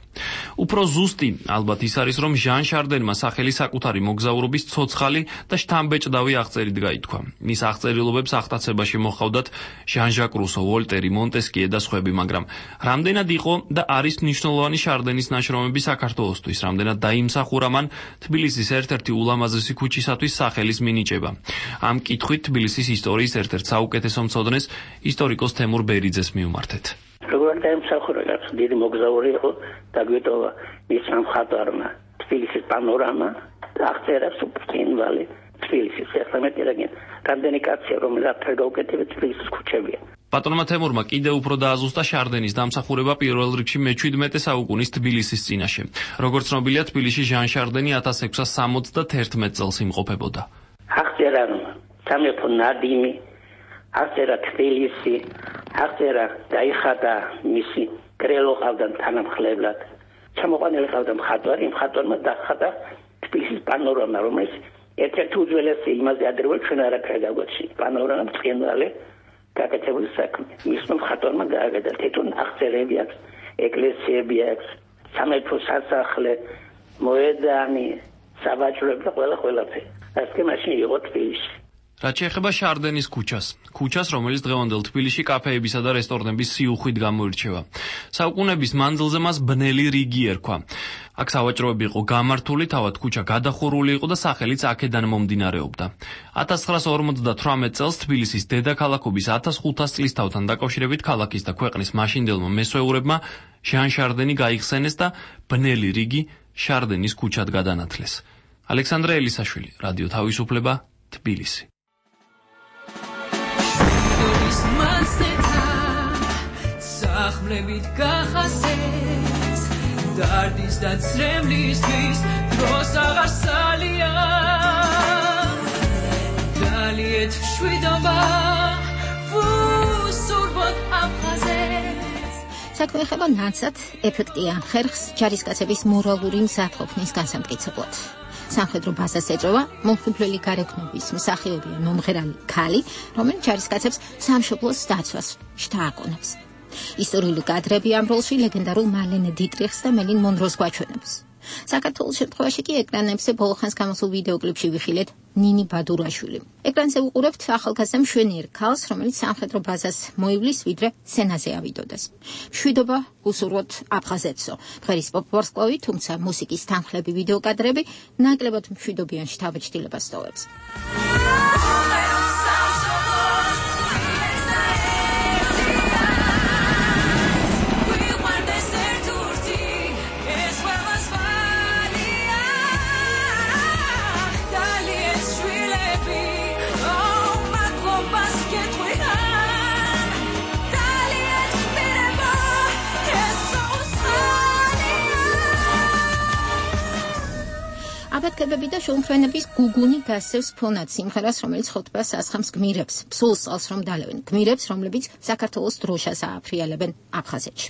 Speaker 20: უფრო ზუსტი ალბათ ის არის, რომ ჟან შარდენმა სახელი საკუთარი მოგზაურობის ცოცხალი და შთამბეჭდავი აღწერით გაითქვა. მის აღწერილობებს აღტაცებაში მოჰყავდათ ჟან-ჟაკ რუსო, ვოლტერი, მონტესკიე და სხვები, მაგრამ რამდენად იყო და არის მნიშვნელოვანი შარდენის ნაშრომები საქართველოსთვის, რამდენად დაიმსახურა მან თბილისის ერთ-ერთი ულამაზესი ქუჩისათვის სახელის მინიჭება. ამ კითხვით თბილისის ისტორიის ერთ-ერთ საუკეთესო მცოდნეს ისტორიკოს თემურ ბერიძეს მივმართეთ.
Speaker 6: როგორ დაიმსახურა, დიდი მოგზაური იყო, დაგვიტოვა მის მხატვარმა თბილისის პანორამა და აღწერა სუპრტინვალი თბილისის ეხლამეტი რეგიონი რამდენი კაცია რომელიც არ გაუკეთებია თბილისის ქუჩებია.
Speaker 20: ბატონმა თემურმა კიდევ უფრო დააზუსტა შარდენის დამსახურება პირველ რიგში მეჩვიდმეტე საუკუნის თბილისის წინაშე. როგორც ცნობილია, თბილისში ჟან შარდენი ათას ექვსას სამოცდათერთმეტ წელს იმყოფებოდა.
Speaker 6: აღწერა სამეფო ნადიმი, აღწერა თბილისი, აღწერა დაიხადა მისი კრელო ყავდან თანამხლებლად. ჩამოყანილი ყავდა მხატვარი, მხატვარმა დახადა თბილისის პანორამა, რომელიც ერთ-ერთი უძველესი იმაზე ადრეულ ჩვენ არაფერი გაგვაჩნია. პანორამა მწყემრალი გაკეთებული საქმე. მისმა მხატვარმა გააკეთა თვითონ აღწერები აქვს, ეკლესიები აქვს, სამეფო სასახლე, მოედანი, საბაჭროები და ყველა ყველაფერი. ასე მაშინ იყო თბილისში.
Speaker 20: რაც შეეხება შარდენის ქუჩას, ქუჩას, რომელიც დღევანდელ თბილისში კაფეებისა და რესტორნების სიუხვით გამოირჩევა. საუკუნეების მანძილზე მას ბნელი რიგი ერქვა. აქ სავაჭროები იყო გამართული, თავად ქუჩა გადახურული იყო და სახელიც აქედან მომდინარეობდა. ათას ცხრაას ორმოცდათვრამეტ წელს თბილისის დედაქალაქობის ათას ხუთას წლისთავთან დაკავშირებით ქალაქის და ქვეყნის მაშინდელმა მესვეურებმა ჟან შარდენი გაიხსენეს და ბნელი რიგი შარდენის ქუჩად გადანათლეს. ალექსანდრე ელისაშვილი, რადიო თავისუფლება, თბილისი.
Speaker 3: სახმლებით გახასეს დარდის და ცრემლისთვის დროს აღარ სალია დალიეთ მშვიდობა ვუსურბოთ აფხაზეს.
Speaker 1: საქმე ეხება ნაცად ეფექტიან ხერხს ჯარისკაცების მორალური მზადყოფნის განსამტკიცებლად. სამხედრო ბაზას ეწევა მომხიბვლელი გარეგნობის მსახიობი მომღერალი ქალი, რომელიც ჯარისკაცებს სამშობლოს დაცვას შთააგონებს. ისტორიული კადრები ამ როლში ლეგენდარულ მალენ დიტრიხს და მელინ მონროს გვაჩვენებს. საქართველოს შემთხვევაში კი ეკრანებზე ბოლოხანს გამოსულ ვიდეოკლიპში ვიხილეთ ნინი ბადურაშვილი. ეკრანზე უყურებთ ახალგაზრდა მშვენიერ ქალს, რომელიც სამხედრო ბაზას მოივლის, ვიდრე სცენაზე ავიდოდეს. მშვიდობა უსურვოთ აფხაზეთსო. ღერის პოპ-ვარსკვლავი, თუმცა მუსიკის თანხლები ვიდეოკადრები ნაკლებად მშვიდობიან შთაბეჭდილებას ტოვებს. აბატკებები და შუამშვენების გუგუნი გასცევს ფონად სიმღერას, რომელიც ხოტბას ასხამს გმირებს, ფსულს წალს რომ დალევენ, გმირებს, რომლებიც საქართველოს დროშას ააფრიალებენ აფხაზეთში.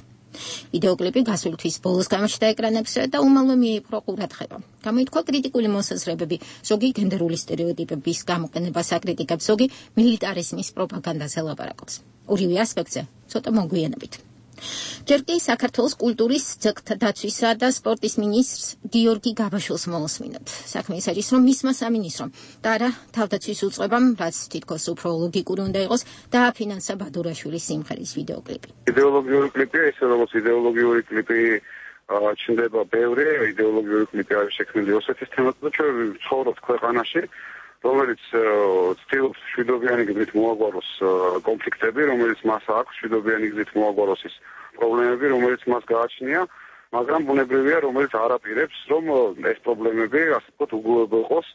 Speaker 1: ვიდეოკლიპი გასული თვის ბოლოს გამოჩნდა ეკრანებზე და უმალვე მიიპყრო ყურადღება. გამოითქვა კრიტიკული მოსაზრებები, ზოგი გენდერული სტერეოტიპების გამოყენებას აკრიტიკებს, ზოგი მილიტარიზმის პროპაგანდაზე ლაპარაკობს. ორივე ასპექტზე ცოტა მოგვიანებით. ჯერ კი საქართველოს კულტურის, ძეგლთა დაცვისა და სპორტის მინისტრს გიორგი გაბაშვილს მოусმინოთ. საქმე ის არის, რომ მისმა სამინისტრომ და არა თავდაცვის უწყებამ, რაც თითქოს უფრო ლოგიკური უნდა იყოს, დააფინანსა ბადურაშვილის სიმღერის ვიდეოკლიპი.
Speaker 21: იდეოლოგიური კლიპია, ისე როგორც იდეოლოგიური კლიპი ჩნდება ბევრი, იდეოლოგიური კლიპი არის შექმნილი ოსეთის თემაზე და ჩვენ ცხოვრობთ ქვეყანაში, რომელიც ცდილობს მშვიდობიანი გზით მოაგვაროს კონფლიქტები, რომელიც მას აქვს მშვიდობიანი გზით მოაგვაროს ის პრობლემები, რომელიც მას გააჩნია, მაგრამ ბუნებრივია, რომელიც არ აპირებს, რომ ეს პრობლემები, ასე ვთქვათ, უგულებო იყოს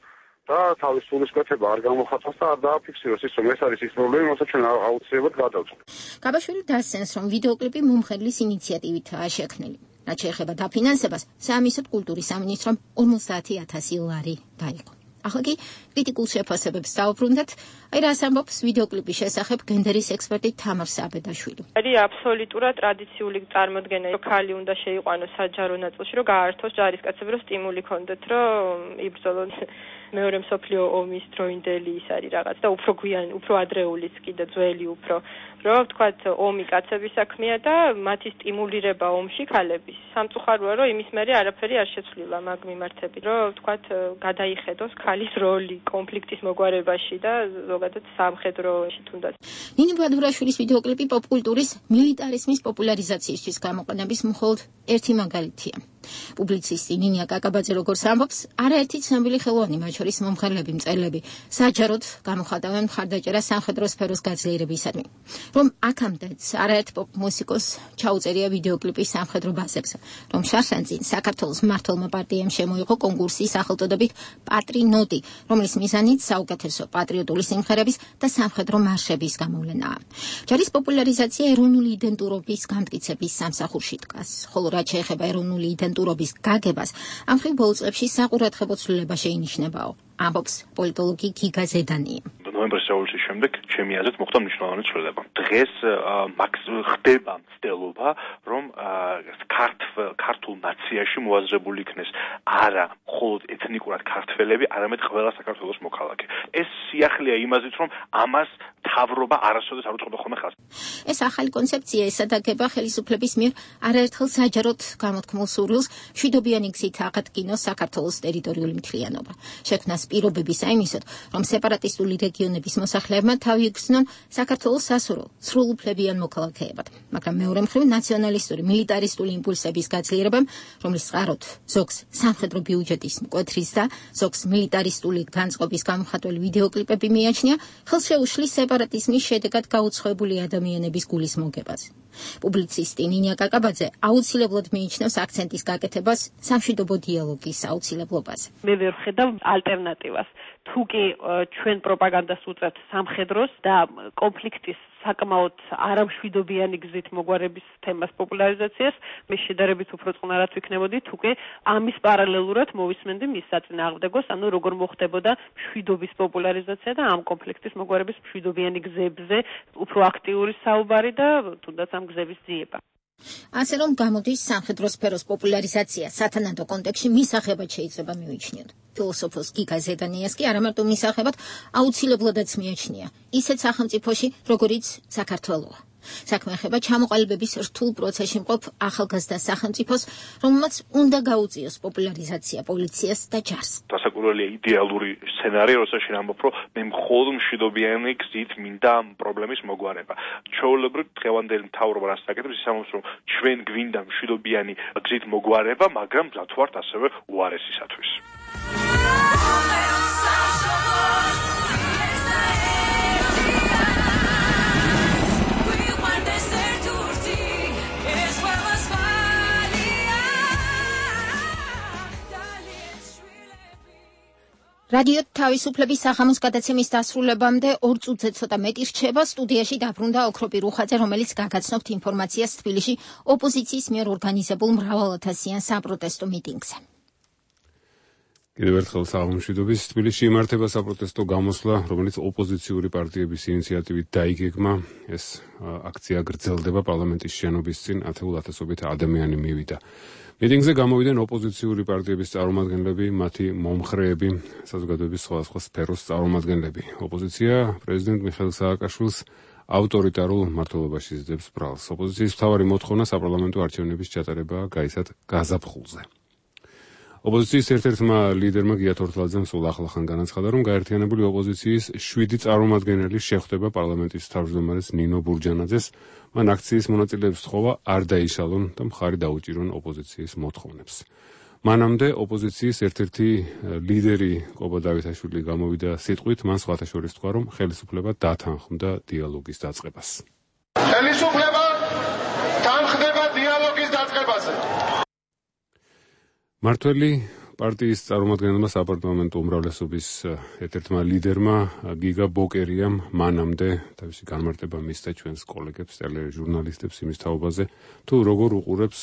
Speaker 21: და თავის სულისკვეთება არ გამოხატოს და არ დააფიქსიროს ის, რომ ეს არის ის პრობლემა, რომელსაც ჩვენ აუცილებლად გადავწყვეტ.
Speaker 1: გაბაშვილი დასცენს, რომ ვიდეოკლიპი მომღერლის ინიციატივითაა შექმნილი. რაც შეეხება დაფინანსებას, საამისოდ კულტურის სამინისტრომ ორმოცდაათი ათასი ლარი დაიყო. ახლა კი კრიტიკულ შეფასებებს დავუბრუნდეთ. აი რას ამბობს ვიდეოკლიპის შესახებ გენდერის ექსპერტი თამარ საბედაშვილი.
Speaker 10: არის აბსოლუტურად ტრადიციული წარმოდგენა, რომ ქალი უნდა შეიყვანოს საჯარო ნაწილში, რომ გაართოს ჯარისკაცები, რომ სტიმული ქონდეთ, რომ იბრძოლონ. მეორე მსოფლიო ომის დროინდელი ის არის რაღაც და უფრო გვიანი, უფრო ადრეულიც კიდე ძველი უფრო, რომ ვთქვათ, ომი კაცების საქმეა და მათი სტიმულირება ომში ქალების. სამწუხაროა, რომ იმის მერე არაფერი არ შეცვლილა მაგ მიმართებით, რომ ვთქვათ, გადაიხედოს ქალის როლი კონფლიქტის მოგვარებაში და ზოგადად სამხედროში თუნდაც.
Speaker 1: ნინი ბადურაშვილის ვიდეოკლიპი პოპკულტურის მილიტარიზმის პოპულარიზაციისთვის გამოყენების მხოლოდ ერთი მაგალითია. პუბლიცისტი ნინია კაკაბაძე როგორც ამბობს, არაერთი ცნობილი ხელოვანი, მათ შორის მომღერლები, მწერლები, საჯაროდ გამოხატავენ მხარდაჭერას სამხედრო სფეროს გაძლიერებისადმი. რომ აქამდეც არაერთ პოპ მუსიკოს ჩაუწერია ვიდეოკლიპი სამხედრო ბაზებზე, რომ შარშანწინ საქართველოს მმართველმა პარტიამ შემოიღო კონკურსი სახელწოდებით პატრინოტი, რომლის მიზანით საუკეთესო პატრიოტული სიმღერების და სამხედრო მარშების გამოვლენაა. ჯარის პოპულარიზაცია ეროვნული იდენტურობის გამტკიცების სამსახურში დგას, ხოლო რაც შეეხება ეროვნული იდენტურობის გაგებას, ამ ხრივ ბოლო წლებში საყურადღებო ცვლილება შეინიშნებაო. ამბობს პოლიტოლოგი გიგა ზედანი.
Speaker 4: ნოემბრის რევოლუციის შემდეგ ჩემი აზრით მოხდა მნიშვნელოვანი ცვლილება. დღეს ხდება მცდელობა, რომ ქართულ ნაციაში მოაზრებული იქნეს არა მხოლოდ ეთნიკურად ქართველები, არამედ ყველა საქართველოს მოქალაქე. ეს სიახლეა იმაზით, რომ ამას მთავრობა არასოდეს არ უწყობდა ხოლმე ხაზს.
Speaker 1: ეს ახალი კონცეფცია ესადაგება ხელისუფლების მიერ არაერთხელ საჯაროდ გამოთქმულ სურვილს მშვიდობიანი გზით აღადგინოს საქართველოს ტერიტორიული მთლიანობა. შექმნას პირობების აიმისოდ, რომ სეპარატისტული რეგიონების მოსახლეებმა თავი იგრძნონ საქართველოს სასურველ, სრულუფლებიან მოქალაქეებად. მაგრამ მეორე მხრივ ნაციონალისტური, მილიტარისტული იმპულსების გაძლიერებამ, რომლის წყაროდ ზოგს სამხედრო ბიუჯეტის მკვეთრის და ზოგს მილიტარისტული განწყობის გამოხატველი ვიდეოკლიპები მიაჩნია, ხელს შეუშლის სეპარატიზმის შედეგად გაუცხოებული ადამიანების გულის მოგებაზე. პუბლიცისტი ნინია კაკაბაძე აუცილებლად მიიჩნევს აქცენტის გაკეთებას სამშვიდობო დიალოგის აუცილებლობაზე.
Speaker 9: მე ვერ ხედავ ალტერნატივას. თუ კი ჩვენ პროპაგანდას უწევთ სამხედროს და კონფლიქტის საკმაოდ არამშვიდობიანი გზით მოგვარების თემას პოპულარიზაციას, მე შედარებით უფრო წყნარად ვიქნებოდი, თუ კი ამის პარალელურად მოვისმენდი მის საწინააღმდეგოს, ანუ როგორ მოხდებოდა მშვიდობის პოპულარიზაცია და ამ კონფლიქტის მოგვარების მშვიდობიანი გზებზე უფრო აქტიური საუბარი და თუნდაც ამ გზების ძიება.
Speaker 1: ასე რომ გამოდის სამხედრო სფეროს პოპულარიზაცია სათანადო კონტექსტში მისაღებად შეიძლება მივიჩნიოთ. ფილოსოფოს გიგა ზედანიას კი არა მარტო მისაღებად აუცილებლადაც მიაჩნია ისეთ სახელმწიფოში, როგორიც საქართველოა. საქმე ეხება ჩამოყალიბების რთულ პროცესში მყოფ ახალგაზრდა სახელმწიფოს, რომელმაც უნდა გაუწიოს პოპულარიზაცია პოლიციას და ჯარს.
Speaker 4: დასაკვირველია იდეალური სცენარი, როცა შენამბობ, რომ მე მხოლოდ მშვიდობიანი გზით მინდა ამ პრობლემის მოგვარება. ჩვეულებრივ დღევანდელი მთავრობა რას აკეთებს, ის ამბობს, რომ ჩვენ გვინდა მშვიდობიანი გზით მოგვარება, მაგრამ მზად ვართ ასევე უარესისათვის.
Speaker 1: რადიო თავისუფლების სახამოს გადაცემის დასრულებამდე ორ წუთზე ცოტა მეტი რჩება. სტუდიაში დაბრუნდა ოქროპი რუხაძე, რომელიც გაგაცნობთ ინფორმაციას თბილისში ოპოზიციის მიერ ორგანიზებულ მრავალათასიან საპროტესტო მიტინგზე.
Speaker 2: კიდევ ერთხელ საღამომშვიდობის. თბილისში იმართება საპროტესტო გამოსვლა, რომელიც ოპოზიციური პარტიების ინიციატივით დაიგეგმა. ეს აქცია გრძელდება პარლამენტის შენობის წინ, ათეულ ათასობით ადამიანი მივიდა. მიტინგზე გამოვიდნენ ოპოზიციური პარტიების წარმომადგენლები, მათი მომხრეები, საზოგადოების სხვადასხვა სფეროს წარმომადგენლები. ოპოზიცია პრეზიდენტ მიხეილ სააკაშვილს ავტორიტარულ მმართველობაში იზრდებს ბრალს. ოპოზიციის მთავარი მოთხოვნა საპარლამენტო არჩევნების ჩატარებაა გაიცათ გაზაფხულზე. ოპოზიციის ერთ-ერთმა ლიდერმა გია თორთლაძემ სულ ახლახან განაცხადა, რომ გაერთიანებული ოპოზიციის შვიდი წარმომადგენელი შეხვდება პარლამენტის თავმჯდომარეს ნინო ბურჯანაძეს. მან აქციის მონაწილეებს სთხოვა არ დაიშალონ და მხარი დაუჭირონ ოპოზიციის მოთხოვნებს. მანამდე ოპოზიციის ერთ-ერთი ლიდერი კობა დავითაშვილი გამოვიდა სიტყვით, მან სხვათა შორის თქვა, რომ ხელისუფლება დათანხმდა დიალოგის დაწყებას.
Speaker 22: ხელისუფლება თანხდება დიალოგის დაწყებაზე.
Speaker 2: მართველი პარტიის წარმომადგენელმა საპარლამენტო უმრავლესობის ერთ-ერთმა ლიდერმა გიგა ბოკერიამ მანამდე თავისი განმარტება მისცა ჩვენს კოლეგებს, ტელეჟურნალისტებს იმის თაობაზე, თუ როგორ უყურებს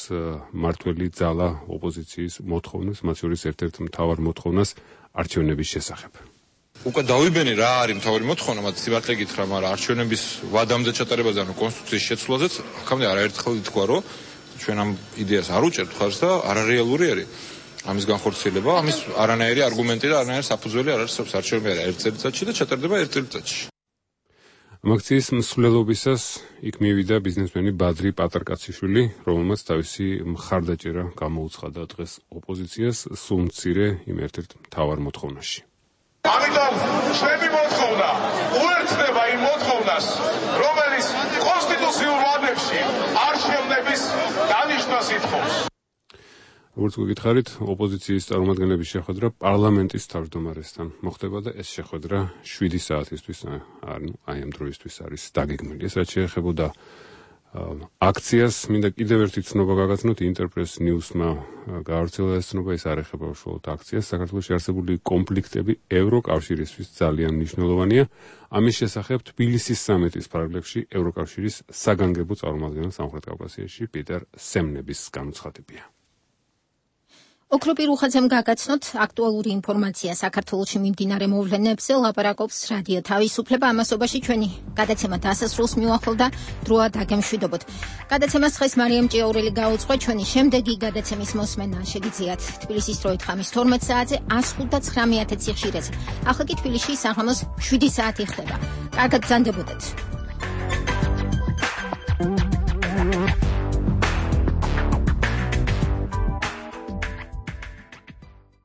Speaker 2: მართველი ძალა ოპოზიციის მოთხოვნას, მათ შორის ერთ-ერთ მთავარ მოთხოვნას არჩევნების შესახებ.
Speaker 23: უკვე დავიბენი რა არის მთავარი მოთხოვნა, მათ სიმართლე გითხრა, მაგრამ არჩევნების ვადამდე ჩატარებაზე, ანუ კონსტიტუციის შეცვლაზეც აქამდე არაერთხელ ითქვა, რომ ჩვენ ამ იდეას არ უჭერთ ხარს და არარეალური არის. ამის განხორციელება, ამის არანაირი არგუმენტი და არანაირი საფუძველი არ არსებობს არჩევნები არა ერთ წელიწადში და ჩატარდება ერთ წელიწადში.
Speaker 2: ამ აქციის მსვლელობისას იქ მივიდა ბიზნესმენი ბადრი პატარკაციშვილი, რომელმაც თავისი მხარდაჭერა გამოუცხადა დღეს ოპოზიციას სულ მცირე იმ ერთ-ერთ მთავარ მოთხოვნაში.
Speaker 22: ამიტომ ჩვენი მოთხოვნა უერთდება იმ მოთხოვნას, რომელიც კონსტიტუციურ ვადებში არჩევნების დანიშნას ითხოვს.
Speaker 2: როგორც გითხარით, ოპოზიციის წარმომადგენლების შეხვედრა პარლამენტის თავმჯდომარესთან მოხდება და ეს შეხვედრა შვიდი საათისთვის, ანუ აი ამ დროისთვის არის დაგეგმილი. ეს რაც შეეხებოდა აქციას, მინდა კიდევ ერთი ცნობა გაგაცნოთ, ინტერპრეს ნიუსმა გაავრცელა ეს ცნობა, ის არ ეხება უშუალოდ აქციას. საქართველოში არსებული კონფლიქტები ევროკავშირისთვის ძალიან მნიშვნელოვანია. ამის შესახებ თბილისის სამეთის ფარგლებში ევროკავშირის საგანგებო წარმომადგენელ სამხრეთ კავკასიაში პიტერ სემნების განუცხადებია.
Speaker 1: ოქროპირ უხაძემ გაგაცნოთ აქტუალური ინფორმაცია საქართველოში მიმდინარე მოვლენებზე, ლაპარაკობს რადიო თავისუფლება. ამასობაში ჩვენი გადაცემა დასასრულს მიუახლოვდა, დროა დაგემშვიდობოთ. გადაცემას დღეს მარიამ ჭიაურელი გაუძღვა, ჩვენი შემდეგი გადაცემის მოსმენა შეგიძლიათ თბილისის დროით ხამის თორმეტ საათზე ას ხუთ და ცხრამეტ სიხშირეზე. ახლა კი თბილისში საღამოს შვიდი საათი ხდება. კარგად ბრძანდებოდეთ.